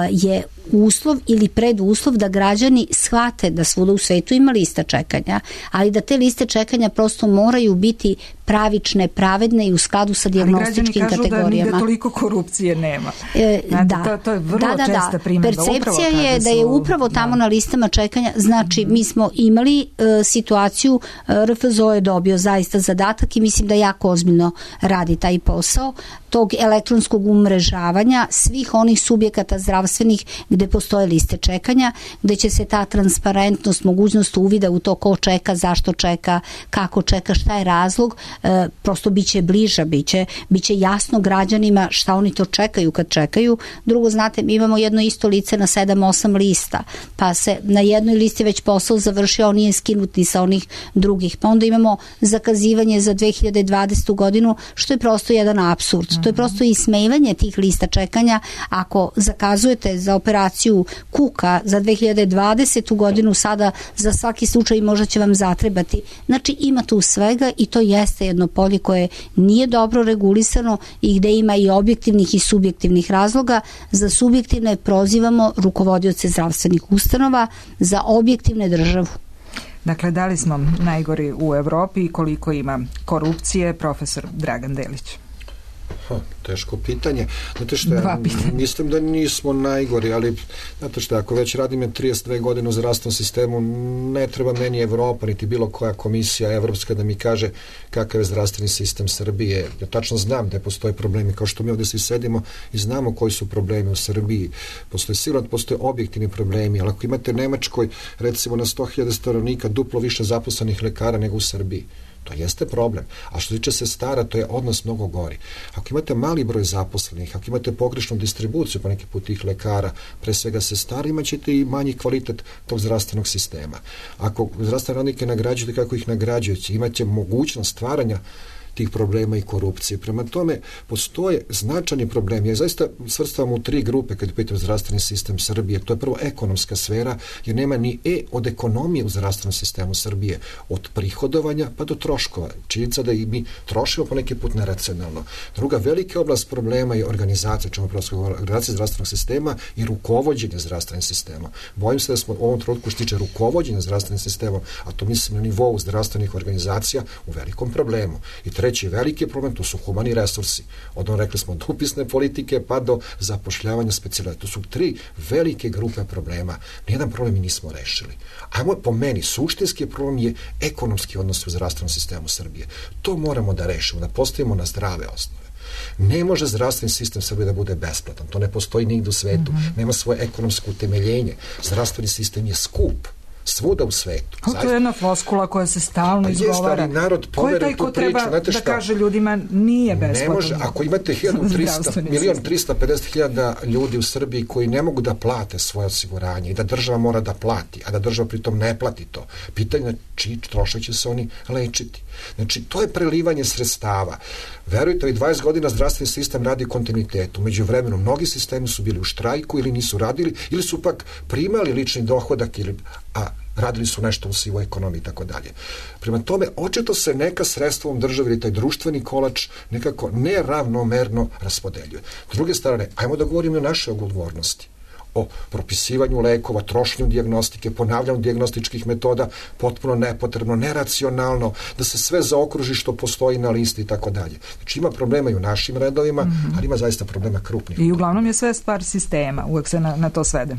je uslov ili preduslov da građani shvate da svuda u svetu ima lista čekanja, ali da te liste čekanja prosto moraju biti pravične, pravedne i u skladu sa dijagnostičkim kategorijama. Ali građani kažu da, da toliko korupcije nema. E, Znate, da. To, to je vrlo da, da, česta da. primjedba. Percepcija je da je upravo tamo da. na listama čekanja, znači mm-hmm. mi smo imali uh, situaciju, uh, R F Z O je dobio zaista zadatak i mislim da jako ozbiljno radi taj posao tog elektronskog umrežavanja svih onih subjekata zdravstvenih gde postoje liste čekanja, gde će se ta transparentnost, mogućnost uvida u to ko čeka, zašto čeka, kako čeka, šta je razlog, e, prosto biće bliža, biće, biće jasno građanima šta oni to čekaju kad čekaju. Drugo, znate, mi imamo jedno isto lice na sedam osam lista, pa se na jednoj listi već posao završio, on nije skinut ni sa onih drugih. Pa onda imamo zakazivanje za dve hiljade dvadesetu godinu, što je prosto jedan apsurd. To je prosto ismevanje tih lista čekanja. Ako zakazujete za operaciju kuka za dve hiljade dvadesetu godinu, sada za svaki slučaj možda će vam zatrebati. Znači ima tu svega i to jeste jedno polje koje nije dobro regulisano i gde ima i objektivnih i subjektivnih razloga. Za subjektivne prozivamo rukovodioce zdravstvenih ustanova, za objektivne državu. Dakle, da li smo najgori u Evropi i koliko ima korupcije? Profesor Dragan Delić. Ha, teško pitanje. Znate što, ja mislim da nismo najgori, ali znate što, ako već radim trideset dve godine u zdravstvenom sistemu, ne treba meni Evropa, niti bilo koja komisija evropska da mi kaže kakav je zdravstveni sistem Srbije. Ja tačno znam da postoje problemi, kao što mi ovdje svi sedimo i znamo koji su problemi u Srbiji. Postoje sigurno, postoje objektivni problemi, ali ako imate u Nemačkoj, recimo na sto hiljada stanovnika, duplo više zaposlenih lekara nego u Srbiji, to jeste problem. A što tiče sestara, to je odnos mnogo gori. Ako imate mali broj zaposlenih, ako imate pogrešnu distribuciju po neki put tih lekara, pre svega sestara, imat ćete i manji kvalitet tog zdravstvenog sistema. Ako zdravstvene radnike nagrađujete kako ih nagrađujete, imate mogućnost stvaranja tih problema i korupcije. Prema tome, postoje značajni problemi. Ja zaista svrstavam u tri grupe kad pitam zdravstveni sistem Srbije. To je prvo ekonomska sfera, jer nema ni E od ekonomije u zdravstvenom sistemu Srbije. Od prihodovanja pa do troškova. Činjenica da i mi trošimo po neki put neracionalno. Druga velika oblast problema je organizacija, čemu prosto organizacija zdravstvenog sistema i rukovođenje zdravstvenim sistemom. Bojim se da smo u ovom trenutku što tiče rukovođenja zdravstvenim sistemom, a to mislim na nivou zdravstvenih organizacija, u velikom problemu. I treći veliki problem, to su humani resursi. Od ono rekli smo od upisne politike pa do zapošljavanja specijalizatora. To su tri velike grupe problema. Nijedan problem mi nismo rešili. Ajmo, po meni, suštinski problem je ekonomski odnos u zdravstvenom sistemu Srbije. To moramo da rešimo, da postavimo na zdrave osnove. Ne može zdravstveni sistem Srbije da bude besplatan. To ne postoji nigde u svetu. Mm-hmm. Nema svoje ekonomsko utemeljenje. Zdravstveni sistem je skup. Svuda u svetu. O, to je jedna floskula koja se stalno pa izgovara. Jest, narod ko je taj ko treba priču, da kaže ljudima nije besplatan? Ne može, ako imate milion trista pedeset hiljada ljudi u Srbiji koji ne mogu da plate svoje osiguranje i da država mora da plati, a da država pritom ne plati to, pitanje na čiji trošak će se oni lečiti. Znači, to je prelivanje sredstava. Verujte mi, dvadeset godina zdravstveni sistem radi kontinuitetu. Među vremenu, mnogi sistemi su bili u štrajku ili nisu radili, ili su pak primali lični dohodak, ili, a radili su nešto u sivoj ekonomiji i tako dalje. Prema tome, očito se neka sredstva u državi ili taj društveni kolač nekako neravnomerno raspodeljuje. S druge strane, ajmo da govorimo o našoj odgovornosti, o propisivanju lekova, trošenju dijagnostike, ponavljanju dijagnostičkih metoda, potpuno nepotrebno, neracionalno, da se sve zaokruži što postoji na listi i tako dalje. Znači ima problema i u našim redovima, mm-hmm. ali ima zaista problema krupnih. I uglavnom je sve stvar sistema, uvek se na, na to svede.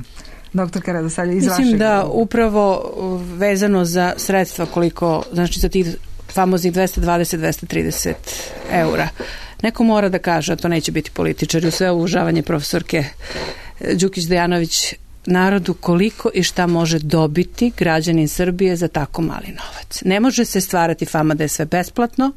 Doktorka Radosalja, iz Mislim vašeg... da upravo vezano za sredstva koliko, znači za tih famoznih dvesta dvadeset do dvesta trideset eura. Neko mora da kaže, a to neće biti političari, u sve uvažavanje profesorke Đukić Dejanović, narodu koliko i šta može dobiti građanin Srbije za tako mali novac. Ne može se stvarati fama da je sve besplatno,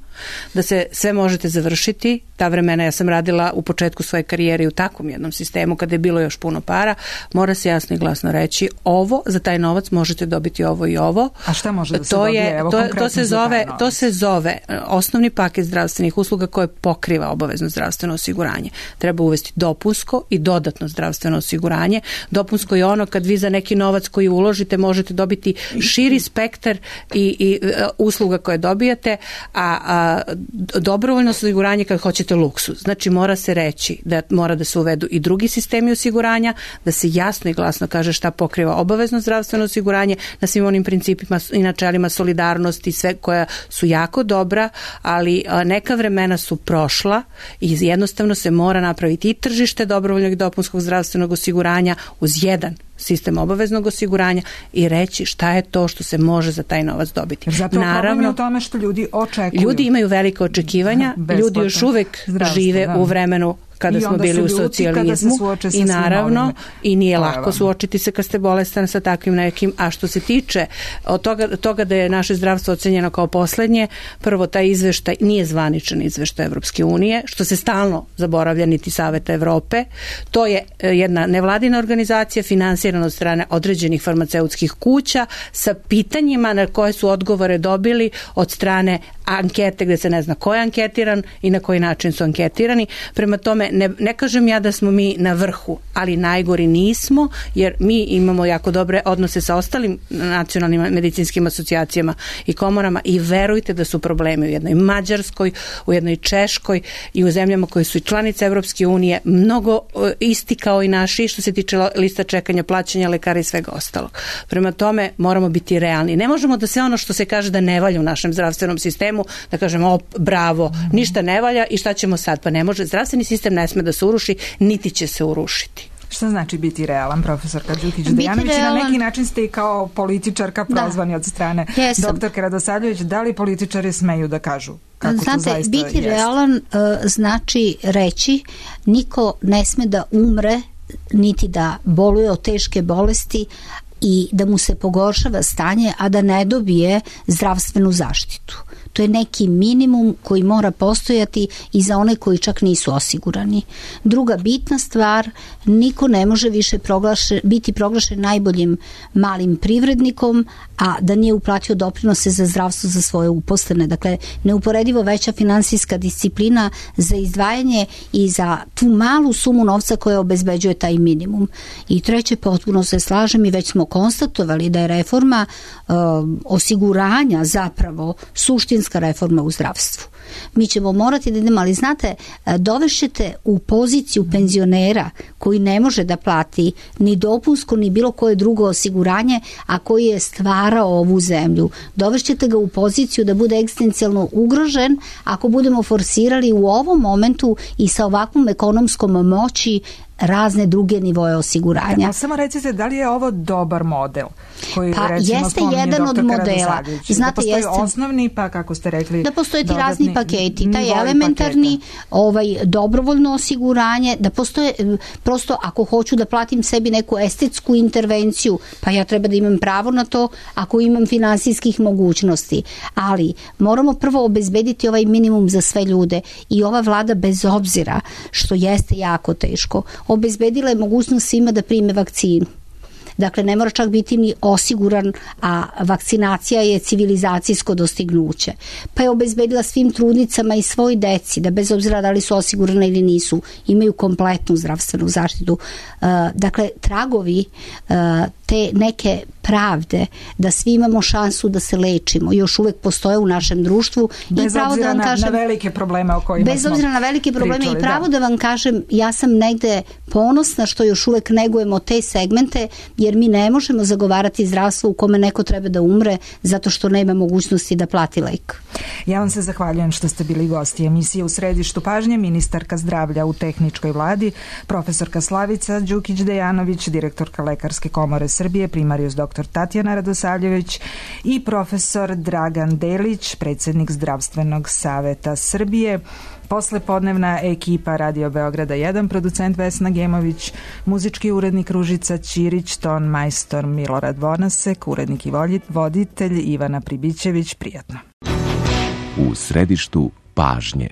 da se sve možete završiti. Ta vremena ja sam radila u početku svoje karijere u takvom jednom sistemu kada je bilo još puno para. Mora se jasno i glasno reći ovo, za taj novac možete dobiti ovo i ovo. A šta može da se to dobije? Je, Evo, to, konkretno to, se zove, to se zove osnovni paket zdravstvenih usluga koje pokriva obavezno zdravstveno osiguranje. Treba uvesti dopunsko i dodatno zdravstveno osiguranje. Dopunsko je ono kad vi za neki novac koji uložite možete dobiti širi spektar i, i usluga koje dobijate, a, a dobrovoljno osiguranje kad hoćete luksuz. Znači mora se reći da mora da se uvedu i drugi sistemi osiguranja, da se jasno i glasno kaže šta pokriva obavezno zdravstveno osiguranje na svim onim principima i načelima solidarnosti, sve koja su jako dobra, ali neka vremena su prošla i jednostavno se mora napraviti i tržište dobrovoljnog i dopunskog zdravstvenog osiguranja uz jedan sistem obaveznog osiguranja i reći šta je to što se može za taj novac dobiti. Zato problem je u tome što ljudi očekuju. Ljudi imaju velike očekivanja, ljudi još uvek žive da. u vremenu kada I smo bili u socijalizmu i naravno i nije lako vam. suočiti se kad ste bolestan sa takvim nekim, a što se tiče od toga, toga da je naše zdravstvo ocenjeno kao poslednje, prvo taj izveštaj nije zvaničan izveštaj Evropske unije, što se stalno zaboravlja niti Saveta Evrope, to je jedna nevladina organizacija finansirana od strane određenih farmaceutskih kuća sa pitanjima na koje su odgovore dobili od strane ankete gde se ne zna ko je anketiran i na koji način su anketirani. Prema tome, ne, ne kažem ja da smo mi na vrhu, ali najgori nismo, jer mi imamo jako dobre odnose sa ostalim nacionalnim medicinskim asocijacijama i komorama i verujte da su problemi u jednoj Mađarskoj, u jednoj Češkoj i u zemljama koje su i članice Evropske unije mnogo isti kao i naši što se tiče lista čekanja, plaćanja lekara i svega ostalog. Prema tome, moramo biti realni. Ne možemo da sve ono što se kaže da ne valja u našem zdravstvenom sistemu, da kažemo, o, bravo, ništa ne valja i šta ćemo sad? Pa ne može. Zdravstveni sistem ne sme da se uruši, niti će se urušiti. Šta znači biti realan, profesorka Đukić Dejanović? Na neki način ste i kao političarka prozvani da. od strane Jesam. doktorke Radosavljević. Da li političari smeju da kažu kako Znate, to zaista biti jest? realan uh, znači reći niko ne sme da umre niti da boluje od teške bolesti i da mu se pogoršava stanje, a da ne dobije zdravstvenu zaštitu. To je neki minimum koji mora postojati i za one koji čak nisu osigurani. Druga bitna stvar, niko ne može više proglašen, biti proglašen najboljim malim privrednikom, a da nije uplatio doprinose za zdravstvo za svoje uposlene. Dakle, neuporedivo veća finansijska disciplina za izdvajanje i za tu malu sumu novca koja obezbeđuje taj minimum. I treće, potpuno se slažem i već smo konstatovali da je reforma uh, osiguranja zapravo suštinska reforma u zdravstvu. Mi ćemo morati da idemo, ali znate, dovešćete u poziciju penzionera koji ne može da plati ni dopunsko, ni bilo koje drugo osiguranje, a koji je stvarao ovu zemlju. Dovešćete ga u poziciju da bude egzistencijalno ugrožen ako budemo forsirali u ovom momentu i sa ovakvom ekonomskom moći razne druge nivoje osiguranja. Ja, samo recite, da li je ovo dobar model? Koji, pa recimo, jeste jedan od modela. Znate, da postoji jeste, osnovni, pa kako ste rekli, da postoje ti razni paketi, taj elementarni, ovaj, dobrovoljno osiguranje, da postoje, prosto ako hoću da platim sebi neku estetsku intervenciju, pa ja treba da imam pravo na to ako imam finansijskih mogućnosti. Ali moramo prvo obezbediti ovaj minimum za sve ljude i ova vlada, bez obzira što jeste jako teško, obezbedila je mogućnost svima da prime vakcinu, Dakle, ne mora čak biti ni osiguran, a vakcinacija je civilizacijsko dostignuće. Pa je obezbedila svim trudnicama i svoj deci da bez obzira da li su osigurane ili nisu, imaju kompletnu zdravstvenu zaštitu. Dakle, tragovi te neke pravde da svi imamo šansu da se lečimo još uvek postoje u našem društvu. Bez I pravo obzira da vam na, kažem, na velike probleme o kojima bez smo obzira na velike probleme pričali, i pravo da. da vam kažem, ja sam negde ponosna što još uvek negujemo te segmente, jer mi ne možemo zagovarati zdravstvo u kome neko treba da umre zato što nema mogućnosti da plati lek. Ja vam se zahvaljujem što ste bili gosti emisije U središtu pažnje, ministarka zdravlja u tehničkoj vladi, profesorka Slavica Đukić-Dejanović, direktorka Lekarske komore Srbije, primarijus doktor Tatjana Radosavljević i profesor Dragan Delić, predsjednik Zdravstvenog saveta Srbije. Poslepodnevna ekipa Radio Beograda jedan, producent Vesna Gemović, muzički urednik Ružica Ćirić, ton majstor Milorad Vonasek, urednik i voditelj Ivana Pribićević. Prijatno. U središtu pažnje.